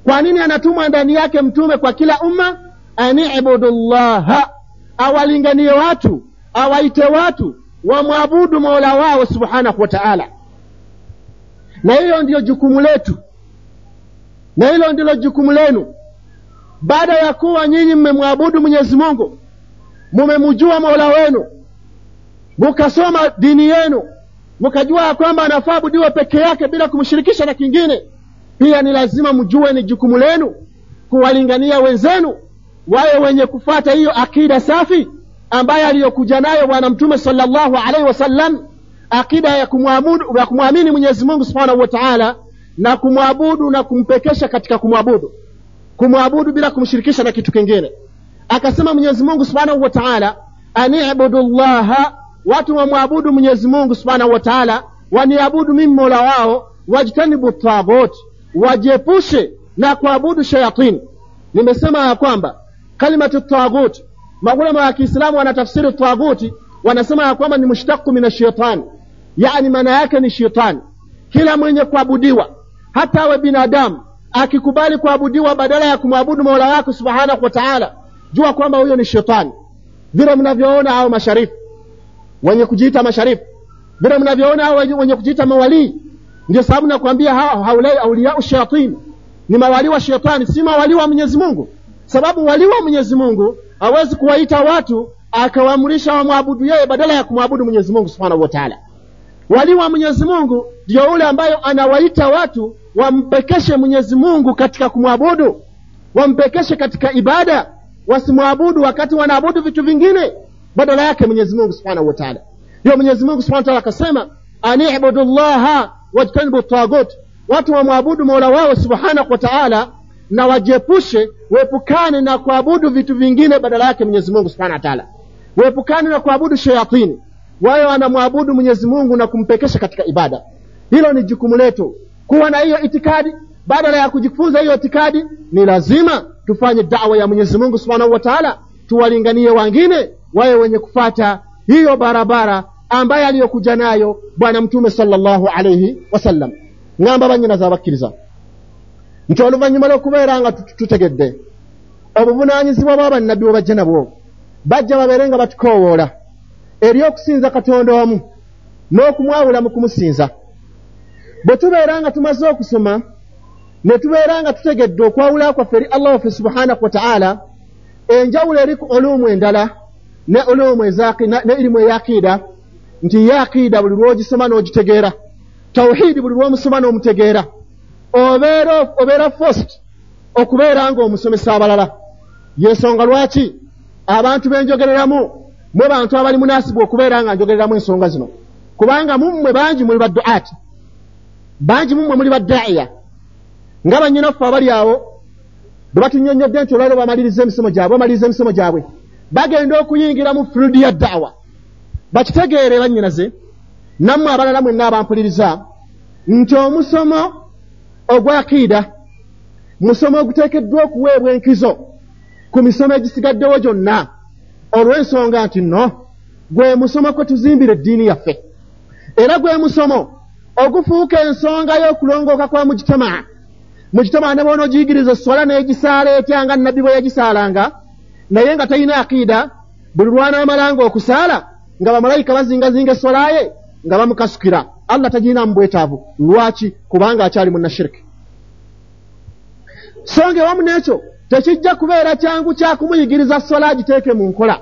Kwa nini anatuma ndani yake mtume kwa kila umma? Ani'budullaha, awalinganie watu, awaite watu wamwabudu Mola wao Subhanahu wa Ta'ala. Na hiyo ndiyo jukumu letu, na hilo ndilo jukumu lenu. Baada ya kuwa nyinyi mmemwabudu Mwenyezi Mungu, mmemjua Mola wenu, mkasoma dini yenu, mkajua kwamba anafaa abudiwe peke yake bila kumshirikisha na kingine, pia ni lazima mjue ni jukumu lenu kuwalingania wenzenu wawe wenye kufuata hiyo akida safi ambaye aliyokuja nayo Bwana Mtume sallallahu alaihi wasallam, akida ya kumwabudu, ya kumwamini Mwenyezi Mungu Subhanahu wa Ta'ala na kumwabudu na kumpekesha katika kumwabudu, kumwabudu bila kumshirikisha na kitu kingine. Akasema Mwenyezi Mungu Subhanahu wa Ta'ala, ani'budullaha, watu wamwabudu Mwenyezi Mungu Subhanahu wa Ta'ala, waniabudu mimi Mola wao, wajtanibu taghut, wajiepushe na kuabudu shayatini. Nimesema ya kwamba kalimatu taghut, maulama wa Kiislamu wanatafsiri taghuti, wanasema ya kwamba ni mushtaqu min ash-shaytan, yani maana yake ni shetani. Kila mwenye kuabudiwa, hata awe binadamu, akikubali kuabudiwa badala ya kumwabudu Mola wake Subhanahu wa Ta'ala, jua kwamba huyo ni shetani. Vile mnavyoona hao masharifu wenye kujiita masharifu, vile mnavyoona hao wenye kujiita mawalii, ndio sababu nakwambia hao haulai auliya shayatin, ni mawali wa shetani, si mawali wa Mwenyezi Mungu. Sababu wali wa Mwenyezi Mungu hawezi kuwaita watu akawaamrisha wamwabudu yeye badala ya kumwabudu Mwenyezi Mungu Subhanahu wa Ta'ala. Wali wa Mwenyezi Mungu ndio yule ambayo anawaita watu wampekeshe Mwenyezi Mungu katika kumwabudu, wampekeshe katika ibada, wasimwabudu wakati wanaabudu vitu vingine badala yake Mwenyezi Mungu Subhanahu wa Ta'ala. Ndio Mwenyezi Mungu Subhanahu wa Ta'ala akasema, ani'budullaha wajtanibu taghut, watu wamwabudu Mola wao Subhanahu wa Ta'ala na wajiepushe, waepukane na kuabudu vitu vingine badala yake Mwenyezi Mungu Subhanahu wa Ta'ala, waepukane na kuabudu shayatini, wao wanamwabudu Mwenyezi Mungu na kumpekesha katika ibada. Hilo ni jukumu letu kuwa na hiyo itikadi. Badala ya kujifunza hiyo itikadi, ni lazima tufanye da'wa ya Mwenyezi Mungu Subhanahu wa Ta'ala, tuwalinganie wengine wawe wenye kufata hiyo barabara ambaye aliyokuja nayo Bwana Mtume sallallahu alayhi wasallam. Ngamba banyina zabakkiriza nti oluvannyuma lw'okubeera nga tutegedde obuvunaanyizibwa bwa bannabbi bwe bajja nabwo, bajja babeere nga batukoowoola eri okusinza Katonda omu n'okumwawula mu kumusinza. Bwe tubeera nga tumaze okusoma ne tubeera nga tutegedde okwawula kwaffe eri Allah waffe Subhanahu wa Ta'ala, enjawulo eri ku ulumu endala ne ulumu ne irimu ey'aqiida, nti ye aqiida buli lw'ogisoma n'ogitegeera, tawhidi buli lw'omusoma n'omutegeera, obeera obeera first okubeera ng'omusomesa abalala. Yensonga lwaki abantu benjogereramu mwe bantu abali munaasibwa okubeera nga njogereramu ensonga zino, kubanga mummwe bangi muli badduaati, bangi mummwe muli baddaiya. Nga bannyinaffe abali awo bwe batunnyonnyodde nti olwaleero bamaliriza emisomo gyabwe, bamaliriza emisomo gyabwe, bagenda okuyingira mu field ya da'wa. Bakitegeere bannyinaze nammwe abalala mwenna abampuliriza nti omusomo ogwa aqiida musomo oguteekeddwa okuweebwa enkizo ku misomo egisigaddewo gyonna, olw'ensonga nti nno gwe musomo kwe tuzimbira eddiini yaffe, era gwe musomo ogufuuka ensonga y'okulongooka kwa mujitamaa. Mujitamaa ne bw'onoogiyigiriza esswala n'egisaala etya nga Nabbi bwe yagisaalanga, naye nga talina aqiida, buli lw'anaamalanga okusaala nga bamalayika bazingazinga esswala ye nga bamukasukira, Allah tagirinamu bwetaavu. Lwaki? Kubanga akyali munnashiriki. So nga ewamu n'ekyo tekijja kubeera kyangu kya kumuyigiriza swala agiteeke mu nkola,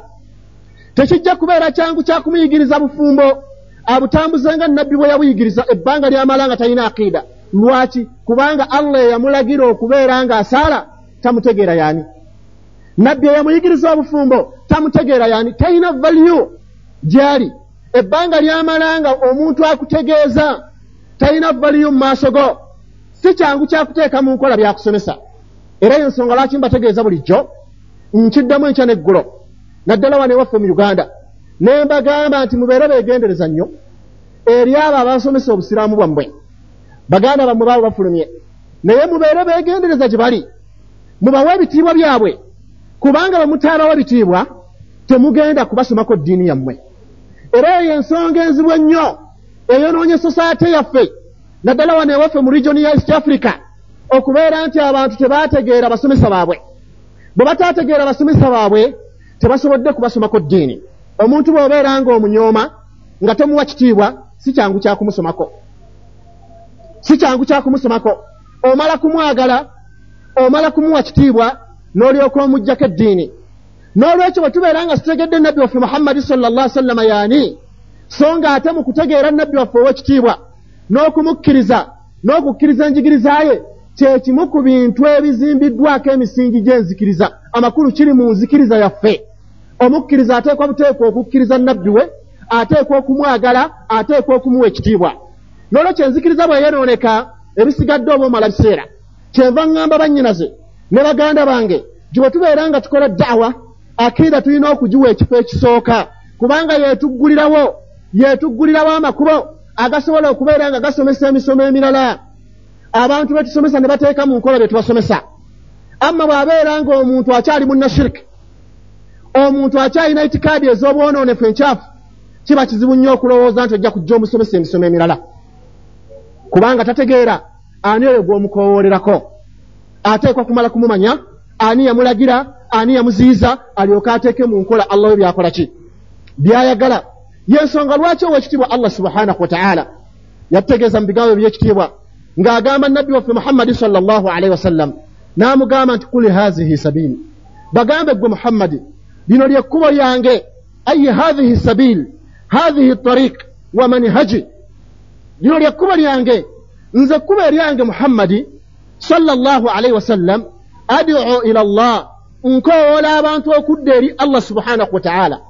tekijja kubeera kyangu kya kumuyigiriza bufumbo abutambuze nga Nabbi bwe yabuyigiriza ebbanga ly'amala nga talina aqiida. Lwaki? Kubanga Allah eyamulagira okubeera ng'asaala tamutegeera yaani, Nabbi eyamuyigiriza obufumbo tamutegeera yaani, talina value gy'ali. Ebbanga ly'amala nga omuntu akutegeeza talina value mu maaso go, si kyangu kyakuteeka mu nkola byakusomesa. Era ensonga lwaki mbategeeza bulijjo nkiddamu enkya n'eggulo, naddala wano ewaffe mu Uganda, ne mbagamba nti mubeere beegendereza nnyo eri abo abasomesa obusiraamu bwammwe. Baganda bammwe baabo bafulumye, naye mubeere beegendereza gye bali, mubawe ebitiibwa byabwe, kubanga bwe mutaabawa ebitiibwa temugenda kubasomako ddiini yammwe. Era eyo ensonga enzibu ennyo eyonoonye society yaffe, naddala wano ewaffe mu region ya East Africa, okubeera nti abantu tebaategeera basomesa baabwe. Bwe bataategeera basomesa baabwe tebasobodde kubasomako ddiini. Omuntu bw'obeera ng'omunyooma nga tomuwa kitiibwa, si kyangu kya kumusomako, si kyangu kya kumusomako. Omala kumwagala, omala kumuwa kitiibwa, n'olyoka omuggyako eddiini. N'olwekyo bwe tubeera nga tutegedde Nabbi waffe Muhammadi sallallahu alaihi wasallam yaani, so nga ate mu kutegeera Nabbi waffe ow'ekitiibwa n'okumukkiriza n'okukkiriza enjigiriza ye, kye kimu ku bintu ebizimbiddwako emisingi gy'enzikiriza. Amakulu kiri mu nzikiriza yaffe. Omukkiriza ateekwa buteekwa okukkiriza Nabbi we, ateekwa okumwagala, ateekwa okumuwa ekitiibwa. N'olwekyo enzikiriza bwe yeeyonooneka, ebisigadde oba omala biseera. Kyenva ŋŋamba bannyinaze ne baganda bange nti bwe tubeera nga tukola da'wa, akiida tulina okugiwa ekifo ekisooka, kubanga yeetuggulirawo yeetuggulirawo amakubo agasobola okubeera nga gasomesa emisomo emirala. Abantu be tusomesa ne bateeka mu nkola bye tubasomesa, Amma bw'abeera ng'omuntu akyali munnashiriki, omuntu akyalina itikaadi ez'obwonoonefu enkyafu, kiba kizibu nnyo okulowooza nti ojja kujja omusomesa emisomo emirala, kubanga tategeera ani oyo gw'omukowoolerako. Ateekwa kumala kumumanya ani yamulagira, ani yamuziyiza, alyoke ateeke mu nkola Allah we byakola ki byayagala. Yensonga lwaki owekitiibwa Allah subhanahu wa ta'ala yatutegeeza mu bigambo ebyekitiibwa ng'agamba nabbi waffe Muhammadi sallallahu alaihi wasallam, n'amugamba nti kuli hazihi sabili, bagambe ggwe Muhammadi, lino lyekkubo lyange, ayi hathihi sabil, hathihi tariq wa manhaji, lino lyekkubo lyange, nze ekkubo eryange Muhammadi sallallahu alaihi wasallam, ad'u ila Allah, nkowoola abantu okudda eri Allah subhanahu wa ta'ala.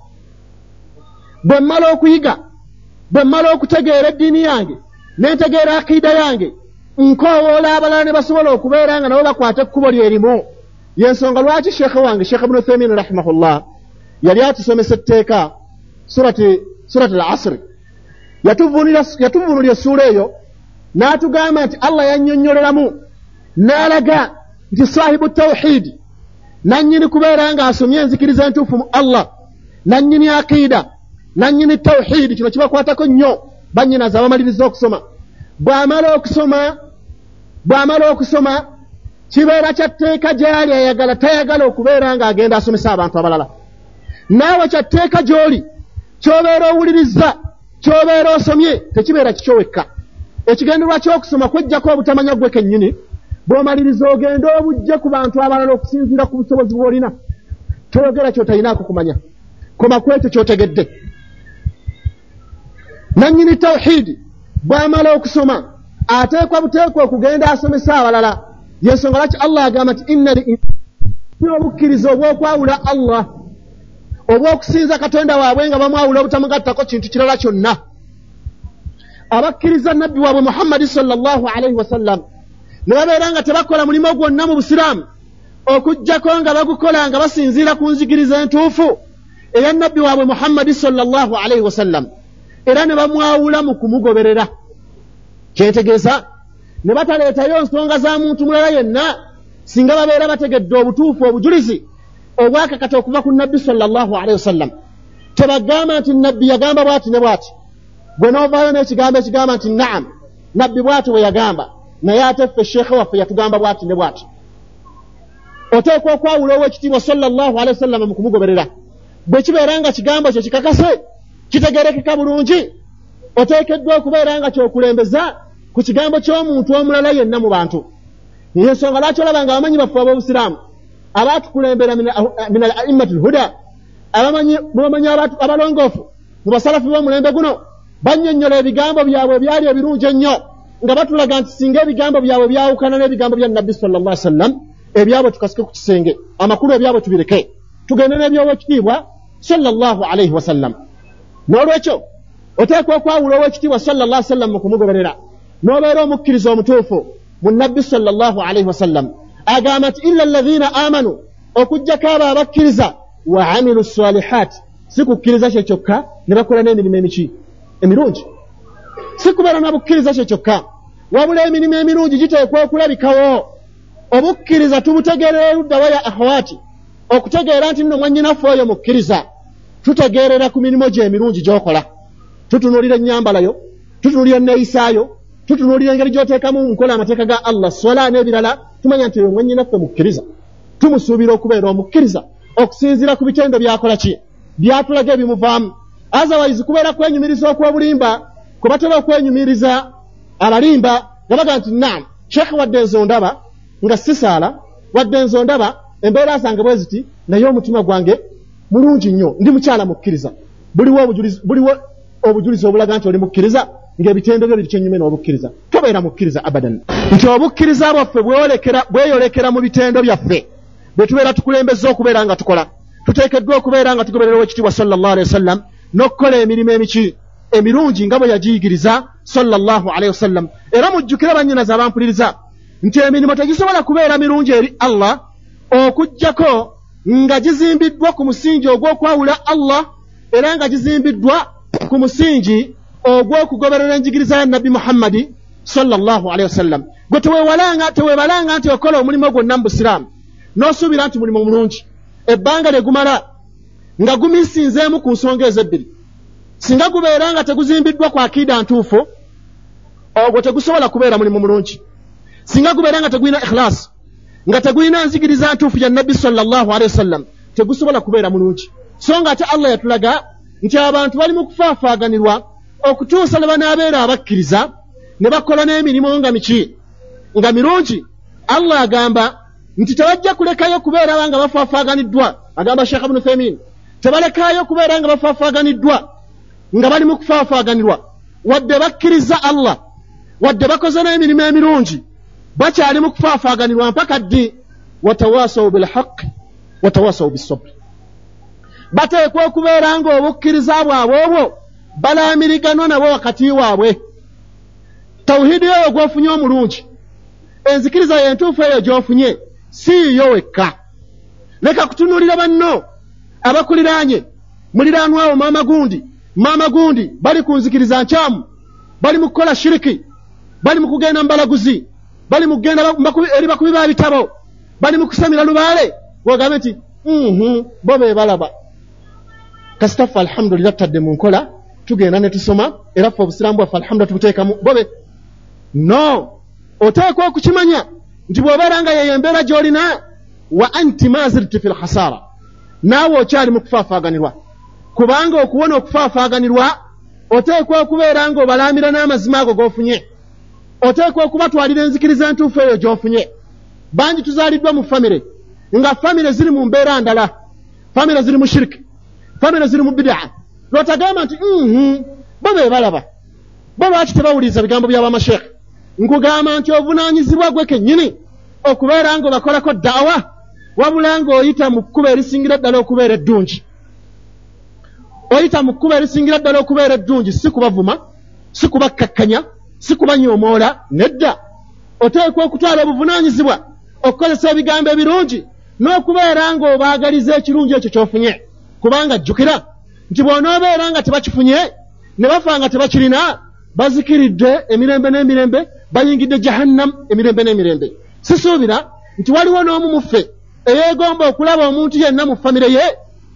Bwe mmala okuyiga, bwe mmala okutegeera eddiini yange, nentegeera akiida yange, nkowoola abalala ne basobola okubeera nga nabo bakwata ekkubo lyerimu. Yensonga lwaki sheekhe wange Sheekh Ibn Uthaymin rahimahullah yali atusomesa etteeka surati surati al-Asr, yatuvvuunulira essuula eyo n'atugamba nti Allah yannyonnyoleramu n'alaga nti sahibu tawhidi, nannyini kubeera ng'asomye enzikiriza entuufu mu Allah, nannyini akiida, nannyini tawhidi, kino kibakwatako nnyo bannyinaze abamaliriza okusoma. Bw'amala okusoma bw'amala okusoma kibeera kya tteeka gy'ali ayagala tayagala okubeera ng'agenda asomesa abantu abalala. Naawe kya tteeka gy'oli, ky'obeera owulirizza, ky'obeera osomye, tekibeera kikyo wekka. Ekigendererwa ky'okusoma kweggyako obutamanya ggwe kennyini, bw'omaliriza ogenda obujje ku bantu abalala okusinziira ku busobozi bw'olina. Toyogera ky'otalinaako kumanya, koma ku ekyo ky'otegedde. Nannyini tawhidi bw'amala okusoma ateekwa buteekwa okugenda asomesa abalala. Yensonga lwaki Allah agamba nti inna obukkiriza obw'okwawula Allah, obw'okusinza Katonda waabwe nga bamwawula obutamugattako kintu kirala kyonna. Abakkiriza nabbi waabwe Muhammadi sallallahu alaihi wasallam ne babeera nga tebakola mulimu gwonna mu busiraamu okuggyako nga bagukola nga basinziira ku nzikiriza entuufu eya nabbi waabwe Muhammadi sallallahu alaihi wasallam, era ne bamwawula mu kumugoberera. Kyentegeeza ne bataleetayo nsonga za muntu mulala yenna singa babeera bategedde obutuufu obujulizi obwakakata okuva ku nabbi sallallahu alaihi wasallam. Tebagamba nti nabbi yagamba bw'ati ne bw'ati, gwe n'ovaayo n'ekigambo ekigamba nti naam, nabbi bw'ati bwe yagamba, naye ate ffe sheekhe waffe yatugamba bw'ati ne bw'ati. Oteekwa okwawula ow'ekitiibwa sallallahu alaihi wasallam mu kumugoberera. Bwe kibeera nga kigambo kye kikakase, kitegeerekeka bulungi, oteekeddwa okubeera nga kyokulembeza ku kigambo ky'omuntu omulala yenna mu bantu. Yensonga lwaki olaba nga abamanyi baffe ab'obusiraamu abaatukulembera min al a'immati lhuda, abamanyi mubamanyi abalongoofu mu basalafu b'omulembe guno, bannyonnyola ebigambo byabwe ebyali ebirungi ennyo nga batulaga nti singa ebigambo byabwe byawukana n'ebigambo bya nabbi sallallahu alaihi wasallam, ebyabwe tukasike ku kisenge, amakulu ebyabwe tubireke, tugende n'ebyowekitiibwa sallallahu alaihi wasallam. N'olwekyo oteekwa okwawula owekitiibwa sallallahu alaihi wasallam mu kumugoberera, n'obeera omukkiriza omutuufu mu nabbi sallallahu alaihi wasallam. Agamba nti illa alladhina amanu, okuggyako abo abakkiriza, wa amilu salihat, si kukkiriza kye kyokka ne bakola n'emirimu emiki emirungi. Si kubeera na bukkiriza kye kyokka, wabula emirimu emirungi giteekwa okulabikawo. Obukkiriza tubutegeerera oludda wa ya akhawati, okutegeera nti nno mwannyinaffe oyo mukkiriza, tutegeerera ku mirimu gye emirungi gy'okola. Tutunuulira ennyambalayo, tutunuulira enneeyisaayo, tutunuulira engeri gy'oteekamu nkola amateeka ga Allah, swala n'ebirala, tumanya nti oyo mwannyinaffe mukkiriza. Tumusuubira okubeera omukkiriza okusinziira ku bitendo by'akola ki byatulaga ebimuvaamu. Otherwise kubeera kwenyumiriza okw'obulimba, kwe batera okwenyumiriza abalimba nga baga nti naam, sheekhe wadde nze ondaba nga sisaala, wadde nze ondaba embeera zange bwe ziti, naye omutima gwange mulungi nnyo, ndi mukyala mukkiriza. Buliwo obujulizi, buliwo obujulizi obulaga nti oli mukkiriza ng'ebitendo byo biri kyennyume n'obukkiriza. Tobeera mukkiriza abadan. Nti obukkiriza bwaffe bweyolekera bweyolekera mu bitendo byaffe bwe tubeera tukulembeza okubeera nga tukola. Tuteekeddwa okubeera nga tugoberera owekitiibwa sallallahu alaihi wasallam n'okukola emirimu emiki emirungi nga bwe yagiyigiriza sallallahu alaihi wasallam. Era mujjukire bannyinaze abampuliriza nti emirimu tegisobola kubeera mirungi eri Allah okuggyako nga gizimbiddwa ku musingi ogw'okwawula Allah, era nga gizimbiddwa ku musingi ogw'okugoberera enjigiriza ya nabbi Muhammadi sallallahu alaihi wasallam. Gwe teweewalanga teweebalanga nti okola omulimu gwonna mu busiraamu, N'osuubira nti mulimu mulungi. Ebbanga lye gumala nga gumisinzeemu ku nsonga ezo ebbiri. Singa gubeera nga teguzimbiddwa ku akiida ntuufu, ogwo tegusobola kubeera mulimu mulungi. Singa gubeera nga tegulina ikhlasi, nga tegulina nzigiriza ntuufu ya Nabbi sallallahu alaihi wasallam, tegusobola kubeera mulungi. So nga ate Allah yatulaga nti abantu bali mu kufaafaaganirwa okutuusa lwe banaabeera abakkiriza ne bakola n'emirimu nga miki nga mirungi. Allah agamba nti tebajja kulekayo kubeera nga bafaafaaganiddwa. Agamba Sheikh Ibn Uthaymeen, tebalekayo kubeera nga bafaafaaganiddwa nga bali mu kufaafaaganirwa, wadde bakkiriza Allah, wadde bakoze n'emirimu emirungi, bakyali mu kufaafaaganirwa mpaka ddi? Watawasaw bilhaqi watawasaw bisabri. Bateekwa okubeera nga obukkiriza bwabwe obwo balaamiriganwa nabo wakati waabwe. Tawhidi eyo gw'ofunye omulungi, enzikiriza y'entuufu eyo gy'ofunye, si yo wekka. Leka kutunuulira banno abakuliraanye, muliraanwawo maama gundi, maama gundi, bali ku nzikiriza nkyamu, bali mu kukola shiriki, bali mu kugenda mu balaguzi, bali mu kugenda eri bakubi ba bitabo, bali mu kusamira lubaale. Wogambe nti mhm bo be balaba. Kasita ffe alhamdulillah tutadde mu nkola, tugenda ne tusoma, era ffe obusiraamu bwaffe alhamdulillah tubuteekamu bobe. No, oteekwa okukimanya nti bw'obeera nga yeyo embeera gy'olina, wa anti mazirti fil khasara, naawe okyali mu kufaafaaganirwa. Kubanga okuwona okufaafaaganirwa oteekwa okubeera ng'obalaamira n'amazima ago g'ofunye, oteekwa okubatwalira enzikiriza entuufu eyo gy'ofunye. Bangi tuzaaliddwa mu famire nga famire ziri mu mbeera ndala, famire ziri mu shiriki, famire ziri mu bid'a. Lwotagamba nti mhm bo be balaba, bo lwaki tebawuliriza bigambo by'abamasheekhe? Nkugamba nti ovunaanyizibwa gwe kennyini okubeera ng'obakolako daawa, wabula ng'oyita mu kkubo erisingira ddala okubeera eddungi. Oyita mu kkubo erisingira ddala okubeera eddungi, si kubavuma, si kubakkakkanya, si kubanyoomoola, nedda. Oteekwa okutwala obuvunaanyizibwa okukozesa ebigambo ebirungi n'okubeera ng'obaagaliza ekirungi ekyo ky'ofunye. Kubanga jjukira nti bw'onoobeera nga tebakifunye ne bafa nga tebakirina, bazikiridde emirembe n'emirembe, bayingidde jahannam emirembe n'emirembe. Sisuubira nti waliwo n'omu mu ffe eyeegomba okulaba omuntu yenna mu famire ye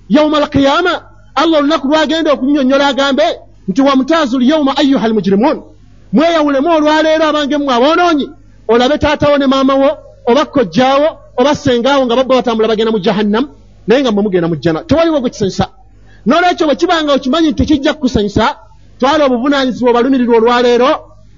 yauma alqiyama, Allah olunaku lwagenda okunnyonnyola agambe nti wamutaazu lyauma ayuha almujrimun, mweyawulemu olwaleero abange mmwe aboonoonyi, olabe taatawo ne maama wo oba kojjaawo oba ssengaawo nga babba batambula bagenda mu jahannam, naye nga mmwe mugenda mu jjana. Tewaliwo gwe kisanyusa. N'olwekyo bwe kibanga okimanyi nti tekijja kukusanyusa, twala obuvunaanyizibwa obalumirirwa olwaleero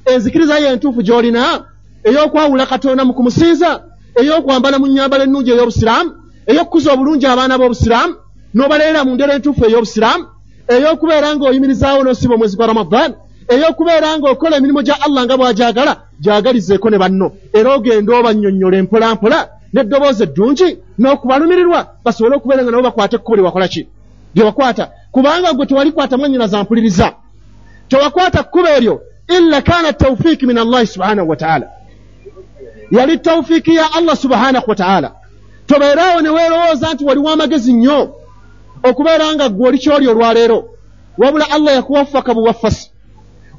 enzikiriza yo entuufu gy'olina ey'okwawula Katonda mu kumusinza, ey'okwambala mu nnyambala ennungi ey'obusiraamu, ey'okukuza obulungi abaana b'obusiraamu n'obaleera mu ndera entuufu ey'obusiraamu, ey'okubeera ng'oyimirizaawo n'osiba omwezi gwa Ramadhan, ey'okubeera ng'okola emirimu gya Allah nga bw'agyagala, gyagalizeeko ne banno, era ogenda obannyonnyola empolampola n'eddoboozi eddungi n'okubalumirirwa basobole okubeera nga nabo bakwata ekkubo lye wakola ki lye wakwata. Kubanga gwe tewalikwata mwannyinaza mpuliriza, tewakwata kkubo eryo illa kana tawfiiki min Allahi subhanahu wa ta'ala, yali tawfiiki ya Allah subhanahu wa ta'ala. Tobeeraawo ne weerowooza nti waliwo amagezi nnyo okubeera nga ggwe oli ky'oli olwaleero, wabula Allah yakuwaffaka buwaffasi.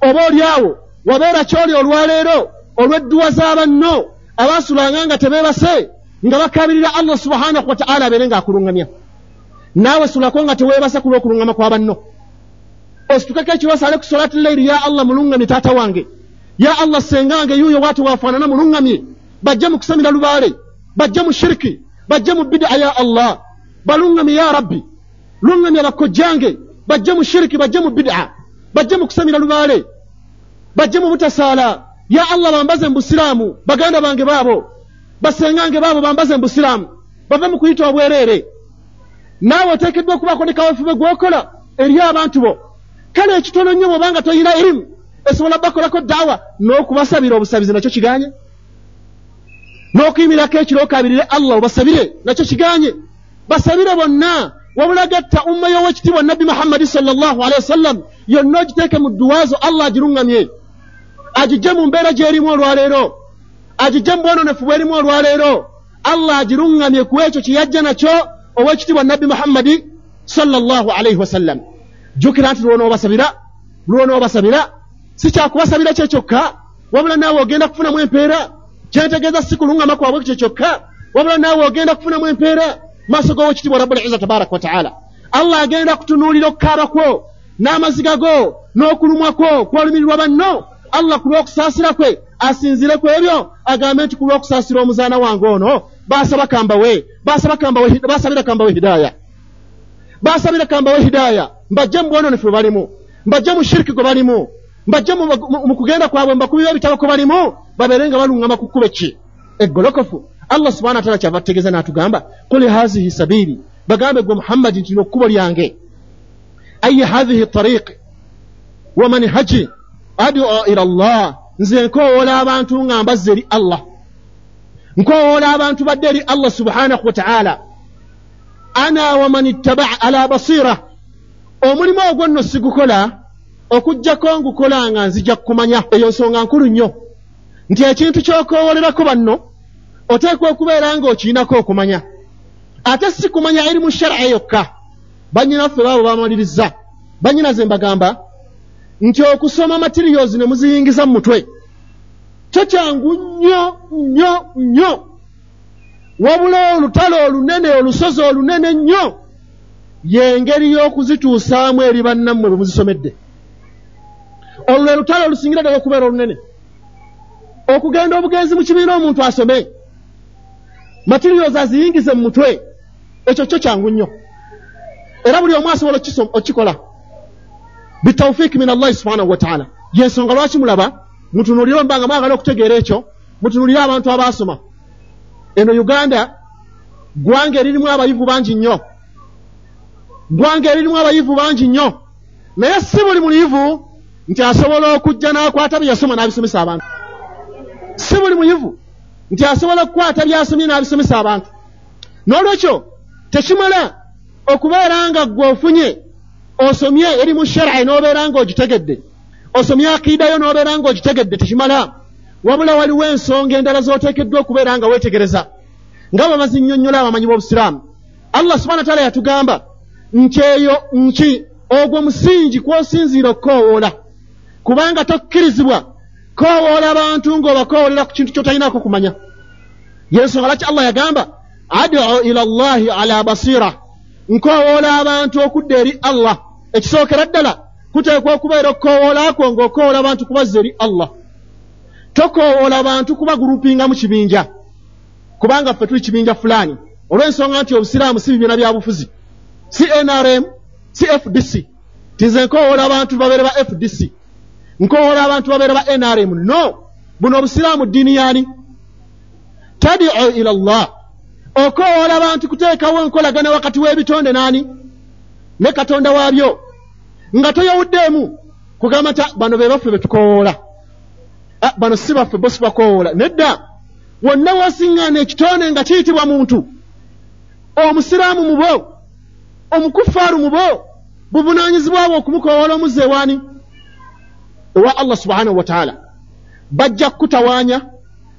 Oba oli awo wabeera ky'oli olwaleero olw'edduwa z'abanno abaasulanga nga tebeebase nga bakaabirira Allah subhanahu wa ta'ala abeere ng'akuluŋŋamya. Naawe sulako nga teweebase ku lw'okuluŋŋama kwa banno, ositukeko ekiro osale ku solati leiri, ya Allah muluŋŋamye taata wange, ya Allah ssengange yuuyo bw'ati waafaanana muluŋŋamye, bajje mu kusamira lubaale, bajje mu shiriki, bajje mu bid'a, ya Allah baluŋŋamye, ya Rabbi luŋŋamye bakojjange, bajje mu shiriki, bajje mu bid'a, bajje mu kusamira lubaale, bajje mu butasaala, ya Allah bambaze mu busiraamu, baganda bange baabo, basengange baabo bambaze mu busiraamu, bave mu kuyita obwereere. Naawe oteekeddwa okubaako ne kaweefube gw'okola eri abantu bo. Kale ekitono nnyo bw'obanga toyina erimu esobola bakolako daawa, n'okubasabira obusabizi nakyo kiganye, n'okuyimirako ekiro okabirire Allah obasabire nakyo kiganye. Basabire bonna, wabula gatta umma y'owekitiibwa Nabbi Muhammadi sallallahu alaihi wasallam yonna ogiteeke mu dduwaazo, Allah agiruŋŋamye, agijje mu mbeera gy'erimu olwaleero, agijje mu bwononefu bw'erimu olwaleero, Allah agiruŋŋamye ku ekyo kye yajja nakyo owekitiibwa Nabbi Muhammadi sallallahu alaihi wasallam. Jjukira nti lw'onoobasabira, lw'onoobasabira si kyakubasabira kye kyokka, wabula naawe ogenda kufunamu empeera. Kyentegeeza si kuluŋŋama kwabwe kye kyokka, Wabula naawe ogenda kufunamu empeera maaso g'owekitiibwa Rabbul Izza tabaraka wa taala. Allah agenda kutunuulira okukaaba kwo n'amaziga go n'okulumwa kwo kwolumirirwa banno. Allah ku lw'okusaasira kwe asinzire ku ebyo agambe nti ku lw'okusaasira omuzaana wange ono basaba kambawe basaba kambawe basabira kambawe hidaya basabira kambawe hidaya, mbajje mu bwononefu bwe balimu, mbajje mu shiriki gwe balimu, mbajje mu kugenda kwabwe, mbakubira ebitabo kwe balimu, babeere nga baluŋŋama ku kkubo ki eggolokofu. Allah subhanahu wa taala kyava ategeeza n'atugamba qul hazihi sabili, bagambe gwe Muhammadi nti lino kkubo lyange, ayi hazihi tariqi wa manhaji adu ila Allah, nze nkowoola abantu nga mbazza eri Allah, nkowoola abantu badde eri Allah subhanahu wa taala. Ana wa man ittaba'a ala basira, omulimu ogwo nno sigukola okuggyako ngukola nga nzija kumanya. Eyo nsonga nkulu nnyo nti ekintu ky'okoowolerako banno oteekwa okubeera ng'okirinako okumanya, ate si kumanya eri mu shar'a yokka. Bannyinaffe baabo bamaliriza, bannyinaze mbagamba nti okusoma materials ne muziyingiza mu mutwe kyo kyangu nnyo nnyo nnyo, wabula olutalo olunene olusozi olunene nnyo y'engeri y'okuzituusaamu eri bannammwe bwe muzisomedde. Olwo lwe lutalo olusingira ddala okubeera olunene, okugenda obugenzi mu kibiina omuntu asome materials aziyingize mu mutwe, ekyo kyo kyangu nnyo era buli omu asobola okukikola bitawfiiki min Allahi subhanahu wa taala. Yensonga lwaki mulaba mutunuulire mbanga mwagala okutegeera ekyo, mutunuulire abantu abaasoma. Eno Uganda ggwanga eririmu abayivu bangi nnyo, ggwanga eririmu abayivu bangi nnyo, naye si buli muyivu nti asobola okujja n'akwata bye yasoma n'abisomesa abantu. Si buli muyivu nti asobola okukwata by'asomye n'abisomesa abantu. N'olwekyo tekimala okubeera nga ggwe ofunye osomye eri mu shar'i n'obeera ng'ogitegedde, osomye akiidayo n'obeera ng'ogitegedde, tekimala. Wabula waliwo ensonga endala z'oteekeddwa okubeera nga weetegereza nga bwe bazinnyonnyola abamanyi b'obusiraamu. Allah subhanahu wa taala yatugamba nti eyo nki ogwo musingi kw'osinziira okukoowoola, kubanga tokkirizibwa koowoola abantu ng'obakoowolera ku kintu ky'otalinaako kumanya. Yensonga lwaki Allah yagamba adu ila Allahi ala basira, nkoowoola abantu okudda eri Allah. Ekisookera ddala kuteekwa okubeera okukoowoola kwo ng'okoowoola abantu kubazza eri Allah. Tokoowoola bantu kubagurupinga mu kibinja, kubanga ffe tuli kibinja fulani, olw'ensonga nti obusiraamu si bibiina bya bufuzi, si N R M, si F D C. Tinze nkoowoola abantu babeere ba F D C, nkowoola abantu babeere ba N R M. No, buno obusiraamu ddiini yaani? Tadiu ila Allah, okowoola abantu kuteekawo enkolagana wakati w'ebitonde naani ne Katonda waabyo, nga toyawuddeemu kugamba nti bano be baffe be tukowoola, bano si baffe bo si bakowoola. Nedda, wonna wasiŋŋaana ekitonde nga kiyitibwa muntu, omusiraamu mubo, omukufaaru mubo, buvunaanyizibwa bwe okumukowoola omuzza ewaani ewa Allah subhanahu wa taala. Bajja kukutawaanya,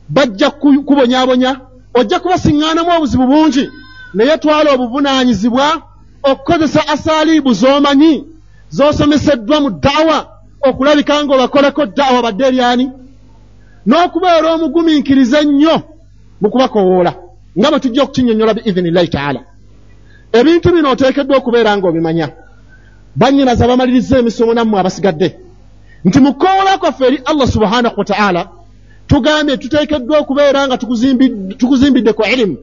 bajja kubonyaabonya, ojja kubasiŋŋaanamu obuzibu bungi, naye twala obuvunaanyizibwa okukozesa asaaliibu z'omanyi z'osomeseddwa mu daawa okulabika ng'obakoleko daawa badde eryani, n'okubeera omugumiikiriza ennyo mu kubakowoola nga bwe tujja okukinnyonnyola biidhinillahi taala. Ebintu bino oteekeddwa okubeera ng'obimanya. Bannyinaze abamaliriza emisomo nammwe abasigadde nti mu kukowoola kwaffe eri Allah subhanahu wa taala tugambye tuteekeddwa okubeera nga tukuzimbidde ku ilimu,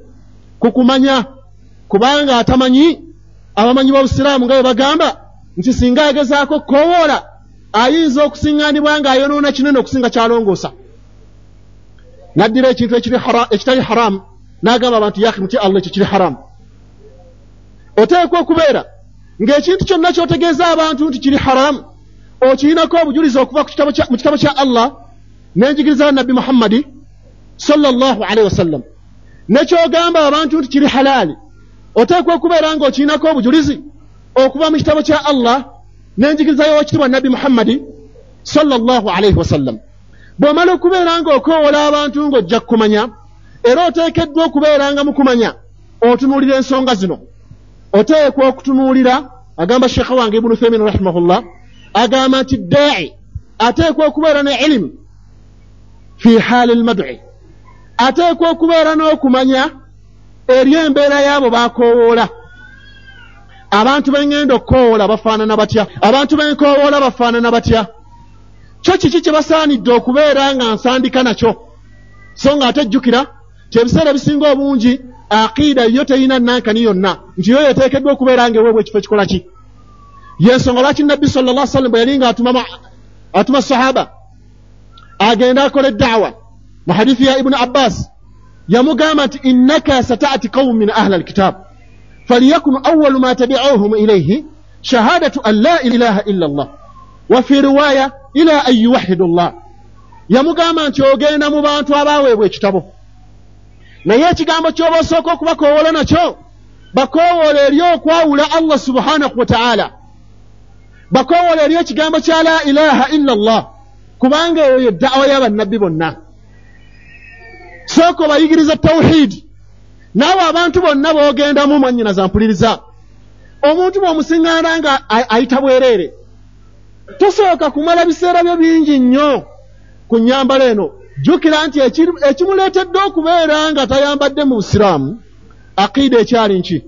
ku kumanya, kubanga atamanyi, abamanyi b'obusiraamu nga bwe bagamba nti singa agezaako okukowoola ayinza okusiŋŋaanibwa ng'ayonoona kinene okusinga kyalongoosa. N'addira ekintu ekitali haramu n'agamba abantu yaki mutye Allah, ekyo kiri haramu. Oteekwa okubeera ng'ekintu kyonna ky'otegeeza abantu nti kiri haramu okirinako obujulizi okuva mu kitabo kya Allah n'enjigiriza ya Nabbi Muhammadi sallallahu alaihi wasallam. Nekyogamba abantu nti kiri halaali oteekwa okubeera ng'okirinako obujulizi okuva mu kitabo kya Allah n'enjigiriza y'owekitiibwa Nabbi Muhammadi sallallahu alaihi wasallam. Bw'omala okubeera ng'okowoola abantu ng'ojja kukumanya, era oteekeddwa okubeera nga mu kumanya otunuulira ensonga zino. Oteekwa okutunuulira, agamba Sheikh wange Ibn Uthaymin rahimahullah, agamba nti daa'i ateekwa okubeera ne ilimu fi haali lmad'i, ateekwa okubeera n'okumanya eri embeera y'abo bakoowoola. Abantu b'engenda okukoowoola bafaanana batya? Abantu b'enkoowoola bafaanana batya? Kyo kiki kye basaanidde okubeera nga nsandika nakyo? So nga ate jjukira nti ebiseera ebisinga obungi aqiida yo terina nankani yonna, nti yo yeteekeddwa okubeera ng'eweebwa ekifo ekikola ki. Yensonga lwaki Nabbi sallallahu alaihi wasallam bwe yali nga atuma atuma sahaba agenda akole da'wa, mu hadithi ya Ibn Abbas yamugamba nti innaka sata'ati qawmin min ahli alkitab faliyakun awwalu ma tabi'uhum ilayhi shahadatu an la ilaha illa Allah wa fi riwaya ila an yuwahhidu Allah. Yamugamba nti ogenda mu bantu abaweebwa ekitabo, naye ekigambo ky'oba osooka okubakowoola nakyo bakowoola eri okwawula Allah subhanahu wa ta'ala, bakowoola eri ekigambo kya la ilaha illa Allah, kubanga eyo ye da'wa y'abannabbi bonna. Sooka obayigiriza tawhidi. Naawe abantu bonna b'ogendamu mwannyinaza mpuliriza, omuntu bw'omusiŋŋaana nga ayita bwereere, tosooka kumala biseera byo bingi nnyo ku nnyambala eno. Jjukira nti ekimuleetedde okubeera nga tayambadde mu busiraamu aqiida ekyali nki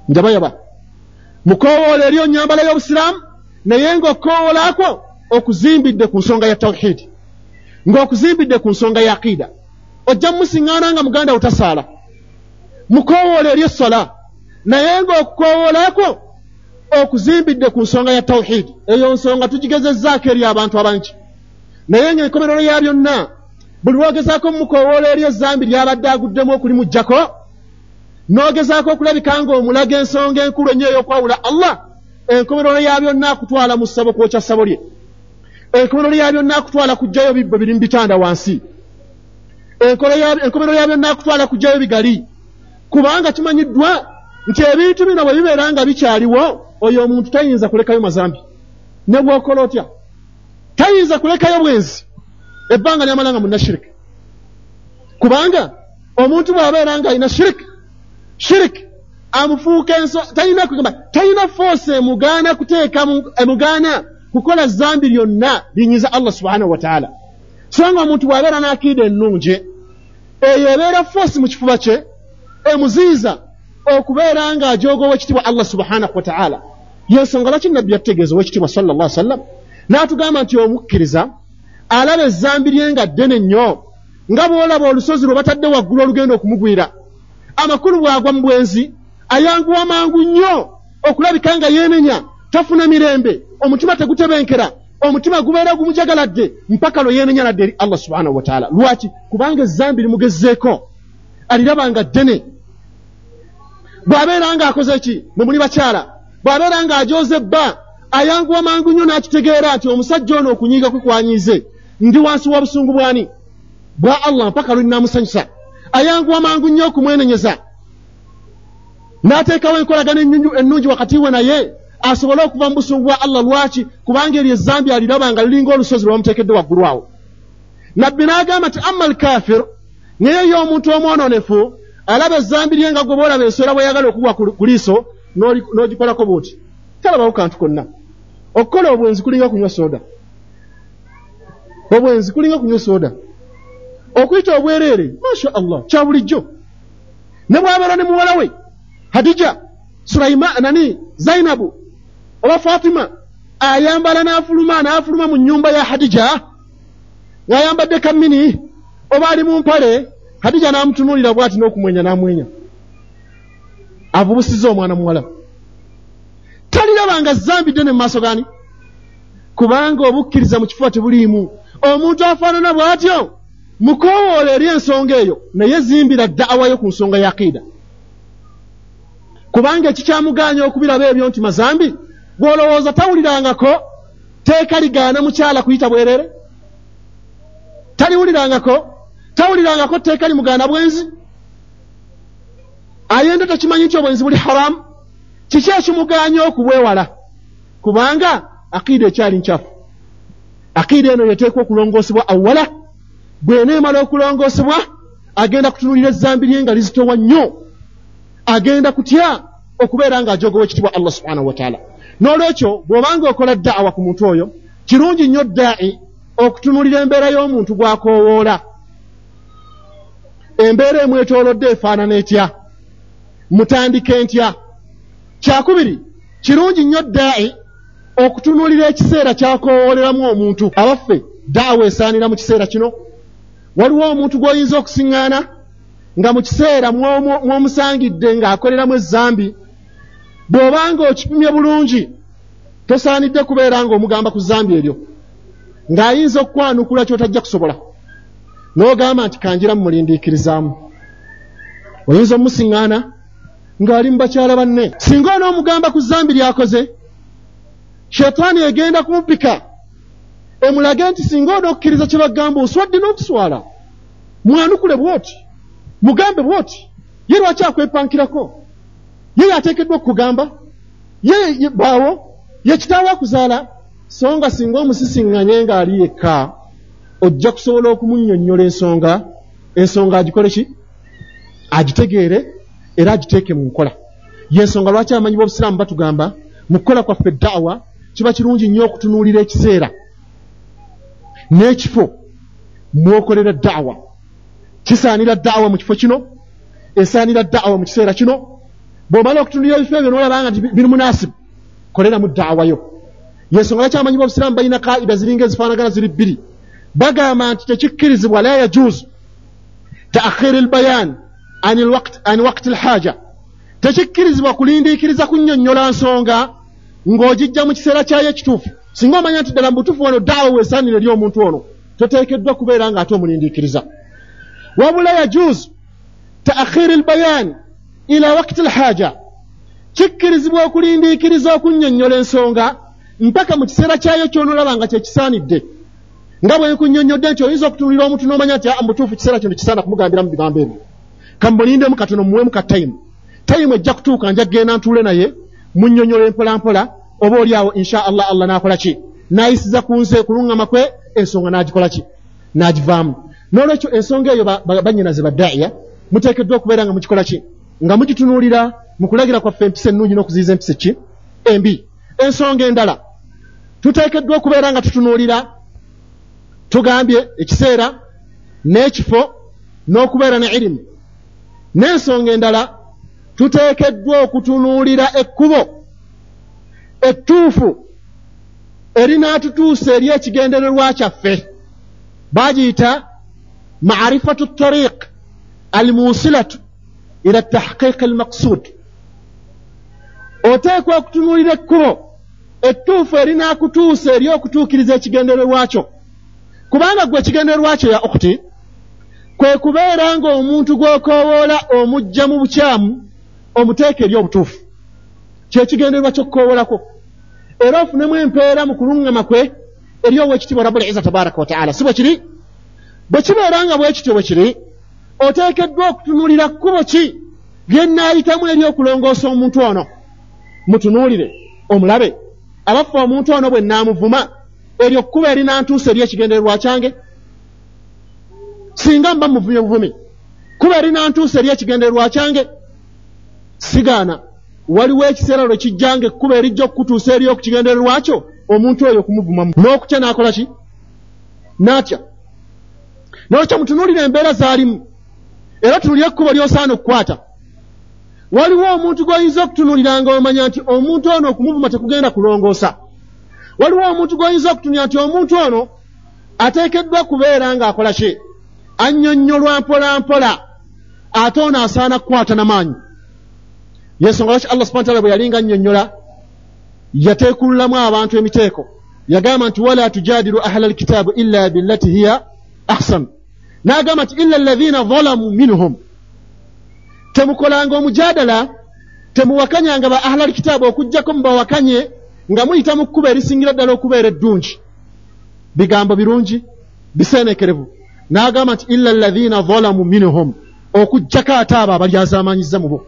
njabayaba. Mukoowoola eri onnyambala y'obusiraamu, naye ng'okukoowolakwo okuzimbidde ku nsonga ya tawhidi, ng'okuzimbidde ku nsonga ya aqiida. Ojja mumusiŋŋaana nga muganda wo tasaala, mukoowoola eri essala, naye ng'okukoowolakwo okuzimbidde ku nsonga ya tawhidi. Eyo nsonga tugigezezzaako eri abantu abangi, naye ng'enkomerero ya byonna buli lw'ogezaako mumukoowoola eri ezzambi ly'abadde aguddemu okulimuggyako, n'ogezaako okulabika ng'omulaga ensonga enkulu ennyo ey'okwawula Allah, enkomerero ya byonna akutwala mu ssabo kwokya ssabo lye, enkomerero ya byonna akutwala kuggyayo bibbo biri mu bitanda wansi, enkomerero ya byonna akutwala kuggyayo bigali, kubanga kimanyiddwa nti ebintu bino bwe bibeera nga bikyaliwo, oyo omuntu tayinza kulekayo mazambi. Ne bw'okola otya tayinza kulekayo bwenzi ebbanga lyamala nga munnashiriki, kubanga omuntu bw'abeera nga alina shiriki, shiriki amufuuka enso, talina kugamba, talina force emugaana kuteeka emugaana kukola zambi lyonna linyiza Allah subhanahu wa ta'ala. So nga omuntu bw'abeera n'akiida ennungi, eyo ebeera force mu kifuba kye emuziiza okubeera ng'ajooga ow'ekitiibwa Allah subhanahu wa ta'ala. Yensonga lwaki Nabbi yatutegeeza ow'ekitiibwa sallallahu alaihi wasallam n'atugamba nti omukkiriza alaba ezzambi lye nga ddene nnyo, nga bw'olaba olusozi lwe batadde waggulu olugenda okumugwira. Amakulu bw'agwa mu bwenzi ayanguwa mangu nnyo okulabika nga yeenenya, tafuna mirembe, omutima tegutebenkera, omutima gubeera gumujagaladde mpaka lwe yeenenya nadde eri Allah subhanahu wa ta'ala. Lwaki? Kubanga ezzambi limugezeeko, aliraba nga ddene. Bw'abeera ng'akoze ki? Mwe muli bakyala, bw'abeera ng'ajooze bba ayanguwa mangu nnyo n'akitegeera nti omusajja ono okunyiiga kwe kwanyiize, ndi wansi wa busungu bwani bwa Allah mpaka lwe nnaamusanyusa. Ayanguwa mangu nnyo okumwenenyeza, n'ateekawo enkolagano ennungi wakati we naye asobole okuva mu busungu bwa Allah. Lwaki? Kubanga eryo ezzambi aliraba nga liringa olusozi lwe bamuteekedde waggulu awo. Nabbi n'agamba nti amma alkafir, naye ye omuntu omwononefu alaba ezzambi lye nga gwe bw'olaba enswera bw'eyagala okugwa ku liiso n'ogikolako bw'oti, talabawo kantu konna. Okukola obwenzi kulinga kunywa soda, obwenzi kulinga kunywa soda, okuyita obwereere masha Allah kya bulijjo. Ne bw'abeera ne muwala we Hadija, Sulaima, nani Zainabu oba Fatima, ayambala n'afuluma n'afuluma mu nnyumba ya Hadija ng'ayambadde kammini oba ali mu mpale, Hadija n'amutunuulira bw'ati n'okumwenya n'amwenya, avubusiza omwana muwala. Talirabanga zambi ddene mu maaso gani? Kubanga obukkiriza mu kifuba tebuliimu. Omuntu afaanana bw'atyo mukoowoola eri ensonga eyo, naye zimbira da'awayo ku nsonga ya aqiida, kubanga ekikyamugaanya okubiraba ebyo nti mazambi. Gw'olowooza tawulirangako teeka ligaana mukyala kuyita bwereere? Taliwulirangako? Tawulirangako tteeka limugaana bwenzi? Ayenda takimanyi nti obwenzi buli haramu? Kiki ekimugaanya okubwewala? Kubanga aqiida ekyali nkyafu. Aqiida eno yeteekwa okulongoosebwa awala. Bw'eneemala okulongoosebwa agenda kutunuulira ezzambi lye nga lizitowa nnyo, agenda kutya okubeera ng'ajooga ow'ekitiibwa Allah subhanahu wa ta'ala. N'olwekyo bw'obanga okola da'awa ku muntu oyo, kirungi nnyo daa'i okutunuulira embeera y'omuntu gw'akoowoola. Embeera emwetoolodde efaanana etya? Mutandike ntya? Kyakubiri, kirungi nnyo daa'i okutunuulira ekiseera ky'akowooleramu omuntu. Abaffe, daawa esaanira mu kiseera kino? Waliwo omuntu gw'oyinza okusiŋŋaana nga mu kiseera mw'omusangidde ng'akoleramu ezzambi. Bw'obanga okipimye bulungi, tosaanidde kubeera ng'omugamba ku zzambi eryo, ng'ayinza okukwanukula ky'otajja kusobola, n'ogamba nti kanjira mumulindiikirizaamu. Oyinza omusiŋŋaana ng'ali mu bakyala banne. Singa onoomugamba ku zzambi ly'akoze, shetaani egenda kumupika emulage nti singa onookkiriza kye bagamba oswadde n'okuswala, mwanukule bw'oti, mugambe bw'oti. Ye lwaki akwepankirako? Ye yateekeddwa okukugamba? Ye baawo? Ye kitaawo akuzaala? So nga singa omusisiŋŋanye ng'ali yekka, ojja kusobola okumunnyonnyola ensonga, ensonga agikole ki? Agitegeere era agiteeke mu nkola. Y'ensonga lwaki abamanyi b'obusiraamu batugamba mu kukola kwaffe da'wa kiba kirungi nnyo okutunuulira ekiseera n'ekifo mw'okolera da'wa. Kisaanira da'wa mu kifo kino, esaanira da'wa mu kiseera kino. Bw'omala okutunuulira ebifo ebyo n'olaba nga biri munaasibu, koleramu da'wa yo. Y'ensonga lwaki abamanyi b'obusiraamu balina kaida ziringa ezifaanagana ziri bbiri. Bagamba nti tekikkirizibwa, la yajuuzu ta'khiri al-bayan an al-waqt an waqt al-haja, tekikkirizibwa kulindiikiriza kunnyonnyola nsonga ng'ogijja mu kiseera kyayo ekituufu. Singa omanya nti ddala mu butuufu wano da'wa weesaanira eri omuntu ono, toteekeddwa kubeera ng'ate omulindiikiriza. Wabula yajuuzu ta'khiri al-bayan ila waqti al-haja, kikkirizibwa okulindiikiriza okunnyonnyola ensonga mpaka mu kiseera kyayo ky'onoolaba nga kye kisaanidde. Nga bwe nkunnyonnyodde nti oyinza okutunuulira omuntu n'omanya nti mu butuufu kiseera kino kisaana kumugambiramu bigambo ebyo, kamulindemu katono, muweemu ka tayimu. Tayimu ejja kutuuka, nja kugenda ntuule naye munnyonnyola mpola mpola, oba oli awo insha Allah Allah n'akola ki? N'ayisiza ku nze kuluŋŋama kwe, ensonga n'agikola ki? N'agivaamu. N'olwekyo ensonga eyo bannyinaze badda'iya muteekeddwa okubeera nga mukikola ki? Nga mugitunuulira mu kulagira kwaffe empisa ennungi n'okuziyiza empisa ki? Embi. Ensonga endala tuteekeddwa okubeera nga tutunuulira, tugambye ekiseera n'ekifo n'okubeera ne irimu. N'ensonga endala tuteekeddwa okutunuulira ekkubo ettuufu erinaatutuusa eri ekigendererwa kyaffe. Bagiyita ma'rifatu ttariiq almuusilatu ila tahqiiqi almaqsuud. Oteekwa okutunuulira ekkubo ettuufu erinaakutuusa eri okutuukiriza ekigendererwa kyo. Kubanga gwe ekigendererwa kyo ya ukhti kwe kubeera ng'omuntu gw'okoowoola omujja mu bukyamu omuteeka eri obutuufu. Kyekigendererwa ky'okukoowolako, era ofunemu empeera mu kuluŋŋama kwe eri ow'ekitiibwa Rabbul Izza tabaraka wa taala. Si bwe kiri? Bwe kibeera nga bwe kityo bwe kiri, oteekeddwa okutunuulira kkubo ki lye nnaayitamu eri okulongoosa omuntu ono. Mutunuulire omulabe, abaffe omuntu ono bwe nnaamuvuma, eryo kkubo erinantuusa eri ekigendererwa kyange? Singa mba muvumye buvumi, kkubo erinantuusa eri ekigendererwa kyange? Sigaana, waliwo ekiseera lwe kijjanga ekkubo erijja okukutuusa eri okukigendererwa kyo, omuntu oyo okumuvumamu n'okutya n'akola ki? N'atya. N'olwekyo mutunuulire embeera z'alimu, era tunuulire ekkubo ly'osaana okukwata. Waliwo omuntu gw'oyinza okutunuulira ng'omanya nti omuntu ono okumuvuma tekugenda kulongoosa. Waliwo omuntu gw'oyinza okutunuulira nti omuntu ono ateekeddwa kubeera ng'akola ki? Annyonnyolwa mpola mpola, ate ono asaana kukwata n'amaanyi. Yensonga lwaki Allah subhanahu wa ta'ala bwe yalinga annyonnyola yateekululamu abantu emiteeko. Yagamba nti wala tujadilu ahla alkitabu illa billati hiya ahsan. N'agamba nti illa alladhina zalamu minhum, temukolanga omujadala, temuwakanyanga ba ahla alkitabu okuggyako mubawakanye nga muyita mu kkubo erisingira ddala okubeera eddungi. Bigambo birungi biseenekerevu. N'agamba nti illa alladhina zalamu minhum, okuggyako ate abo abalyazaamanyizza mu bo.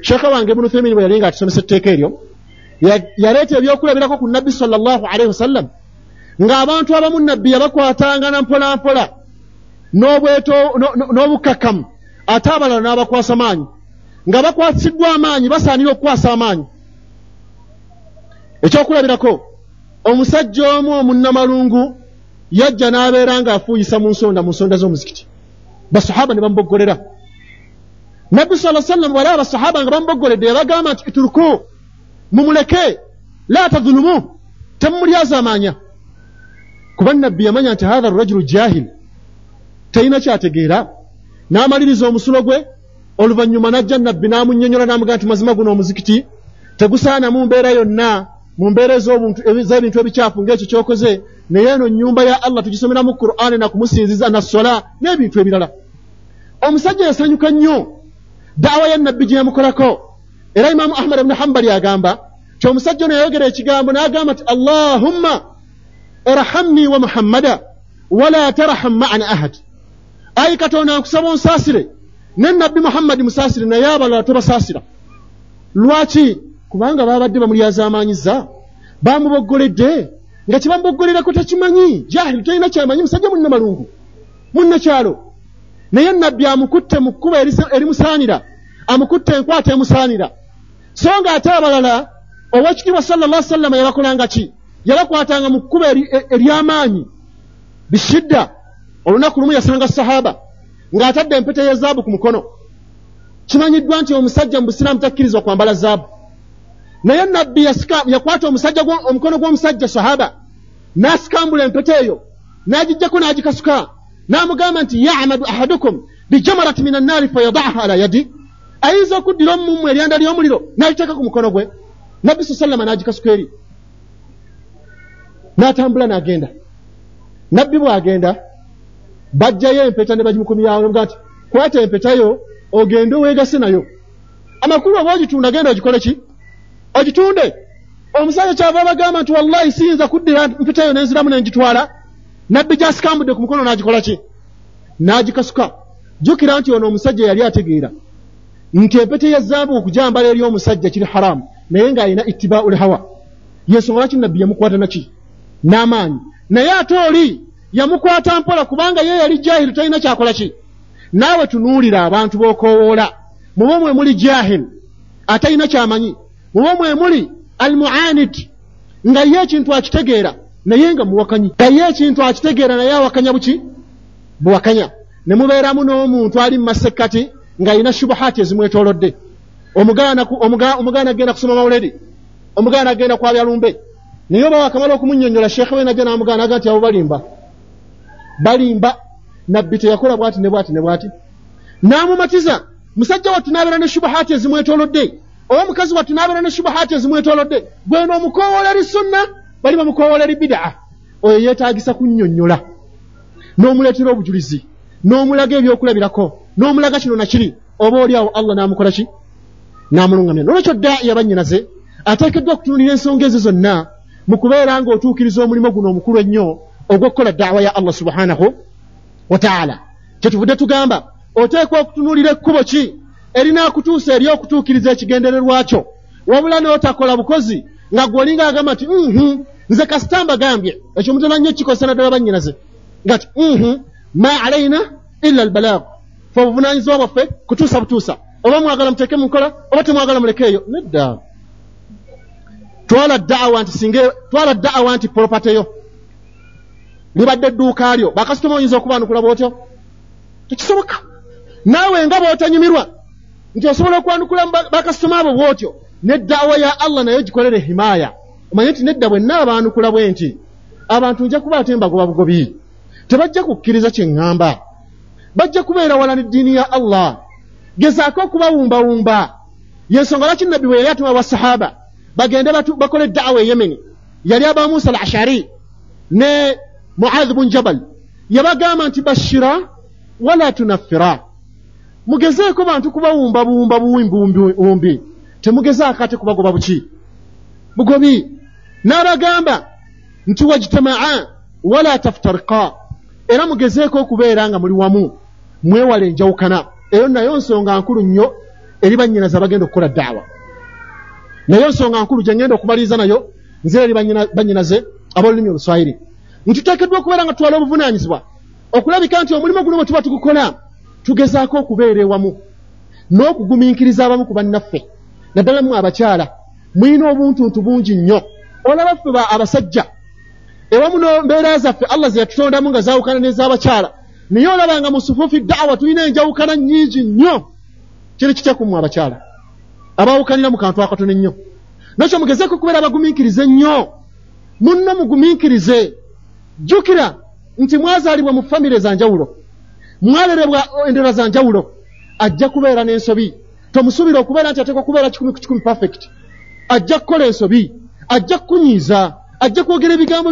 Sheekha wange Ibn Uthaymeen bwe yali nga atusomesa etteeka eryo, yaleeta ebyokulabirako ku Nabbi sallallahu alaihi wasallam, ng'abantu abamu Nabbi yabakwatanga na mpola mpola n'obukkakkamu, ate abalala n'abakwasa maanyi. Nga bakwasiddwa amaanyi, basaanira okukwasa amaanyi. Ekyokulabirako, omusajja omu omunnamalungu yajja n'abeera ng'afuuyisa mu nsonda mu nsonda z'omuzikiti. Basahaba ne bamuboggolera. Nabbi sallallahu alaihi wasallam wala abasahaba nga bamuboggoledde yabagamba nti ituruku, mumuleke, la tadhulumu, temumulyazaamaanya. Kuba nabbi yamanya nti hatha rajulu jahil, talina kyategeera. N'amaliriza omusulo gwe, oluvannyuma n'ajja nabbi n'amunnyonnyola n'amugamba nti mazima guno omuzikiti tegusaana mu mbeera yonna, mu mbeera ez'ebintu ebikyafu ng'ekyo ky'okoze, naye eno nnyumba ya Allah tugisomeramu Qur'ani na kumusinziza na sola n'ebintu ebirala. Omusajja yasanyuka nnyo da'wa ya nabbi gye yamukolako. Era Imaamu Ahmad ibn Hanbali agamba nti omusajja ono yayogera ekigambo n'agamba nti Allahumma irhamni wa Muhammada wala tarham ma'ana ahad, ayi Katonda nkusaba onsaasire ne nabbi Muhammadi musaasire naye abalala tobasaasira. Lwaki? Kubanga babadde bamulyazaamaanyiza, bamuboggoledde nga kye bamuboggolerako takimanyi, jahili, talina kyamanyi, musajja munnamalungu munnakyalo. Naye nabbi amukutte mu kkubo erimusaanira, amukutte enkwata emusaanira. So nga ate abalala owekitiibwa sallallahu alaihi wasallam yabakolanga ki? Yabakwatanga mu kkubo ery'amaanyi bishidda. Olunaku lumu yasanga sahaba ng'atadde empeta ya zaabu ku mukono. Kimanyiddwa nti omusajja mu busiraamu takkirizibwa kwambala zaabu, naye nabbi yakwata omusajja omukono gw'omusajja sahaba n'asikambula empeta eyo n'agijjako n'agikasuka n'amugamba nti ya'madu ahadukum bijamarati minan naari fayada'aha ala yadi, ayinza okuddira omummu eryanda ly'omuliro n'aliteeka ku mukono gwe. Nabbi sallallahu alayhi wasallam n'agikasuka eri n'atambula n'agenda. Nabbi bw'agenda bajjayo empeta ne bagimukumyawo n'amugamba nti kwata empeta yo ogende weegase nayo. Amakulu oba ogitunda genda ogikole ki? Ogitunde. Omusajja kyava abagamba nti wallahi siyinza kuddira mpeta yo nenziramu nengitwala. Nabbi gy'asikambudde ku mukono n'agikola ki? N'agikasuka. Jjukira nti ono omusajja yali ategeera nti empeta ya zaabu okugyambala eri omusajja kiri haramu, naye ng'alina ittibaa'ul hawa. Yensonga lwaki nabbi yamukwata naki? N'amaanyi. Naye ate oli yamukwata mpola kubanga ye yali jahilu, talina kyakola ki? Naawe tunuulira abantu b'okoowoola, mubo mwe muli jahil atalina kyamanyi, mubo mwe muli almuanid nga ye ekintu akitegeera naye nga muwakanyi, nga ye ekintu akitegeera naye awakanya buki? Buwakanya. Ne mubeeramu n'omuntu ali mu masekkati ng'alina shubuhaati ezimwetoolodde. Omugaana omugaana agenda kusoma mawuledi, omugaana agenda kwabya lumbe, naye oba wakamala okumunnyonnyola sheekhe we najja n'amugaana aga nti abo balimba, balimba. Nabbi teyakola bw'ati ne bw'ati ne bw'ati, n'amumatiza. Musajja wattu n'abeera ne shubuhaati ezimwetoolodde, oba omukazi wattu n'abeera ne shubuhaati ezimwetoolodde. Gweno omukoowoola eri sunna, bali bamukoowoola eri bidaa. Oyo yeetaagisa kunnyonnyola n'omuleetera obujulizi n'omulaga ebyokulabirako n'omulaga kino na kiri, oba oli awo Allah n'amukola ki? N'amulungamya. N'olwekyo daa'iya bannyinaze ateekeddwa okutunuulira ensonga ezo zonna mu kubeera ng'otuukiriza omulimu guno omukulu ennyo ogw'okukola da'wa ya Allah subhanahu wa ta'ala. Kyetuvudde tugamba oteekwa okutunuulira ekkubo ki erinaakutuusa eri okutuukiriza ekigendererwa kyo, wabula n'otakola bukozi nga gwe olinga agamba nti mhm nze kasita mbagambye. Ekyo mutera nnyo kikozesa naddala bannyinaze nga ti mhm ma alaina illa albalagh, fe obuvunaanyizibwa bwaffe kutuusa butuusa, oba mwagala muteeke mu nkola oba temwagala mulekeeyo. Nedda, twala da'wa nti singa twala da'wa nti property yo libadde edduuka lyo, bakasitoma oyinza okubaanukula bw'otyo? Tekisoboka. Naawe nga bw'otanyumirwa nti osobola okwanukula bakasitoma abo bw'otyo, ne da'wa ya Allah nayo gikolere himaaya. Omanye nti nedda bwe nnaabaanukula bwe nti abantu nja kuba ate mbagoba bugobi, tebajja kukkiriza kye ŋŋamba, bajja kubeera wala n'eddiini ya Allah. Gezaako okubawumbawumba. Yensonga lwaki nabbi bwe yali atuma basahaba bagende bakole da'wa e Yemeni, yali aba Musa al-Ashari ne Muadh bun Jabal, yabagamba nti bashira wala tunaffira, mugezeeko bantu kubawumbawumba buwumbi, temugezaako ate kubagoba buki bugobi. N'abagamba nti wajtamaa wala taftarika, era mugezeeko okubeera nga muli wamu, mwewale enjawukana. Eyo nayo nsonga nkulu nnyo eri bannyinaze abagenda okukola da'wa. Nayo nsonga nkulu gye ngenda okumaliriza nayo nze eri bannyinaze ab'olulimi Oluswahili, nti tuteekeddwa okubeera nga tutwala obuvunaanyizibwa okulabika nti omulimu guno bwe tuba tugukola tugezaako okubeera ewamu n'okugumiikiriza abamu ku bannaffe, naddala mmwe abakyala mulina obuntuntu bungi nnyo. Olaba ffe abasajja ewamu n'embeera zaffe Allah ze yatutondamu nga zaawukana n'ez'abakyala, Naye olaba nga mu sufuufi da'wa tulina enjawukana nnyingi nnyo. Kiri kitya ku mmwe abakyala abaawukanira mu kantu akatono ennyo? Nakyo mugezeeko okubeera abagumiikiriza ennyo. Munno mugumiikirize. Jjukira nti mwazaalibwa mu famire za njawulo, mwalerebwa endera za njawulo. Ajja kubeera n'ensobi. Tomusuubira okubeera nti ateekwa kubeera kikumi ku kikumi perfect. Ajja kukola ensobi, ajja kukunyiiza, ajja kwogera ebigambo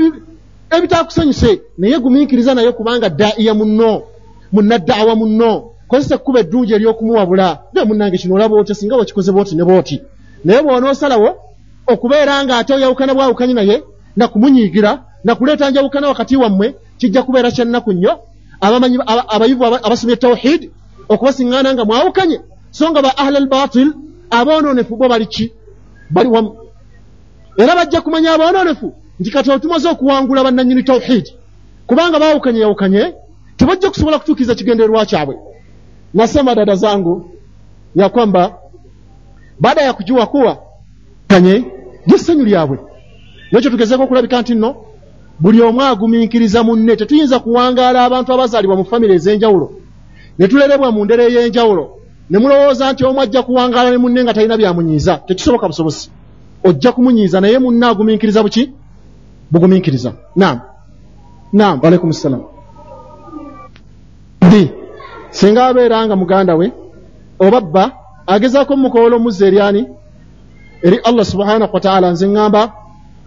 ebitakusanyuse, naye gumiikiriza naye kubanga daa'iya munno, munnadaawa munno. Kozesa ekkubo eddungi ery'okumuwabula. Naye munnange kino olaba otya singa wakikoze bw'oti ne bw'oti. Naye bw'onoosalawo okubeera ng'ate oyawukana bwawukanyi naye na kumunyiigira na kuleeta njawukana wakati wammwe, kijja kubeera kya nnaku nnyo. Abamanyi abayivu abasomye tawhid okubasiŋŋaana nga mwawukanye, so nga ba ahlal batil aboonoonefu bo bali ki? Bali wamu. Era bajja kumanya aboonoonefu nti kati otumaze okuwangula bannannyini tawhid, kubanga baawukanye yawukanye tebajja kusobola kutuukiriza kigendererwa kyabwe. Nasema dada zangu ya kwamba baada ya kujua kuwa kanye lyessanyu lyabwe, nekyo tugezeeko okulabika nti nno buli omu agumiikiriza munne. Tetuyinza kuwangaala abantu abazaalibwa mu famire ez'enjawulo ne tulerebwa mu ndera ey'enjawulo ne mulowooza nti omu ajja kuwangaala ne munne nga talina byamunyiiza. Tekisoboka busobosi. Ojja kumunyiiza, naye munne agumiikiriza buki? Bugumiikiriza. Naam, naam, waalaikum ssalam. Di singa abeera nga muganda we oba bba agezaako mukoola omuzza eri ani? Eri Allah subhanahu wa ta'ala. Nze ŋŋamba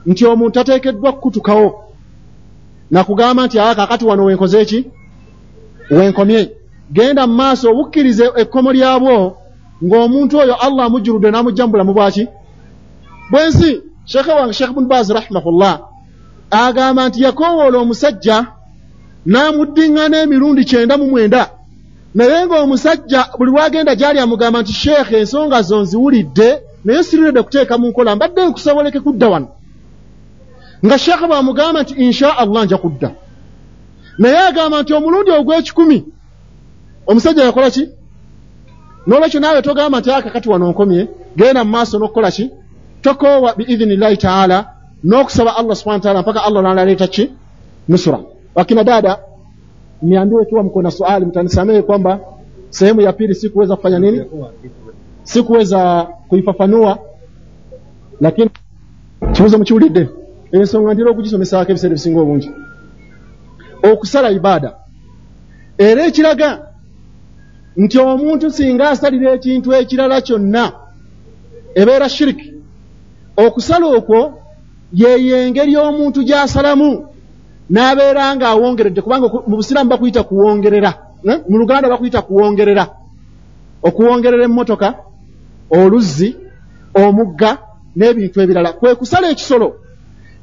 nti omuntu ateekeddwa kukutukawo nakugamba nti aa kaakati wano wenkoze ki? Wenkomye. Genda mu maaso obukkirize ekkomo lyabwo ng'omuntu oyo Allah amujjuludde n'amujja mu bulamu bwaki? Bwensi. Sheekhe wange Sheekh Ibn Baz rahimahullah agamba nti yakoowoola omusajja n'amuddiŋŋana emirundi kyenda mu mwenda, naye ng'omusajja buli lwagenda gy'ali amugamba nti sheekhe ensonga zo nziwulidde naye siriredde kuteeka mu nkola, mbadde nkusoboleke kudda wano. Nga sheekhe bw'amugamba nti insha Allah nja kudda, naye agamba nti omulundi ogw'ekikumi omusajja yakola ki? N'olwekyo naawe togamba nti aka kati wano nkomye, genda mu maaso n'okukola ki? Tokoowa biidhinillahi taala n'okusaba Allah subhanahu wa taala mpaka Allah n'aleeta ki? Nusura. Wakina dada, niambiwe ikiwa mko na swali, mtanisamehe kwamba sehemu ya pili sikuweza kufanya nini, sikuweza kuifafanua, lakini kibuzo mukiwulidde ensonga ndira okugisomesaako ebiseera ebisinga obungi. Okusala ibada era ekiraga nti omuntu singa asalira ekintu ekirala kyonna ebeera shiriki. Okusala okwo yeyo engeri omuntu gy'asalamu n'abeera ng'awongeredde, kubanga mu busiraamu bakuyita kuwongerera, mu Luganda bakuyita kuwongerera. Okuwongerera emmotoka, oluzzi, omugga n'ebintu ebirala. Kwe kusala ekisolo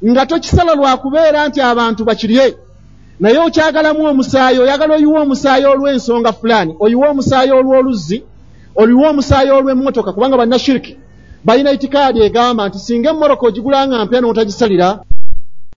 nga tokisala lwa kubeera nti abantu bakirye, naye okyagalamu omusaayi, oyagala oyiwe omusaayi olw'ensonga fulani, oyiwe omusaayi olw'oluzzi, oyiwe omusaayi olw'emmotoka, kubanga bannashiriki balina itikaadi egamba nti singa emmotoka ogigula nga mpya n'otagisalira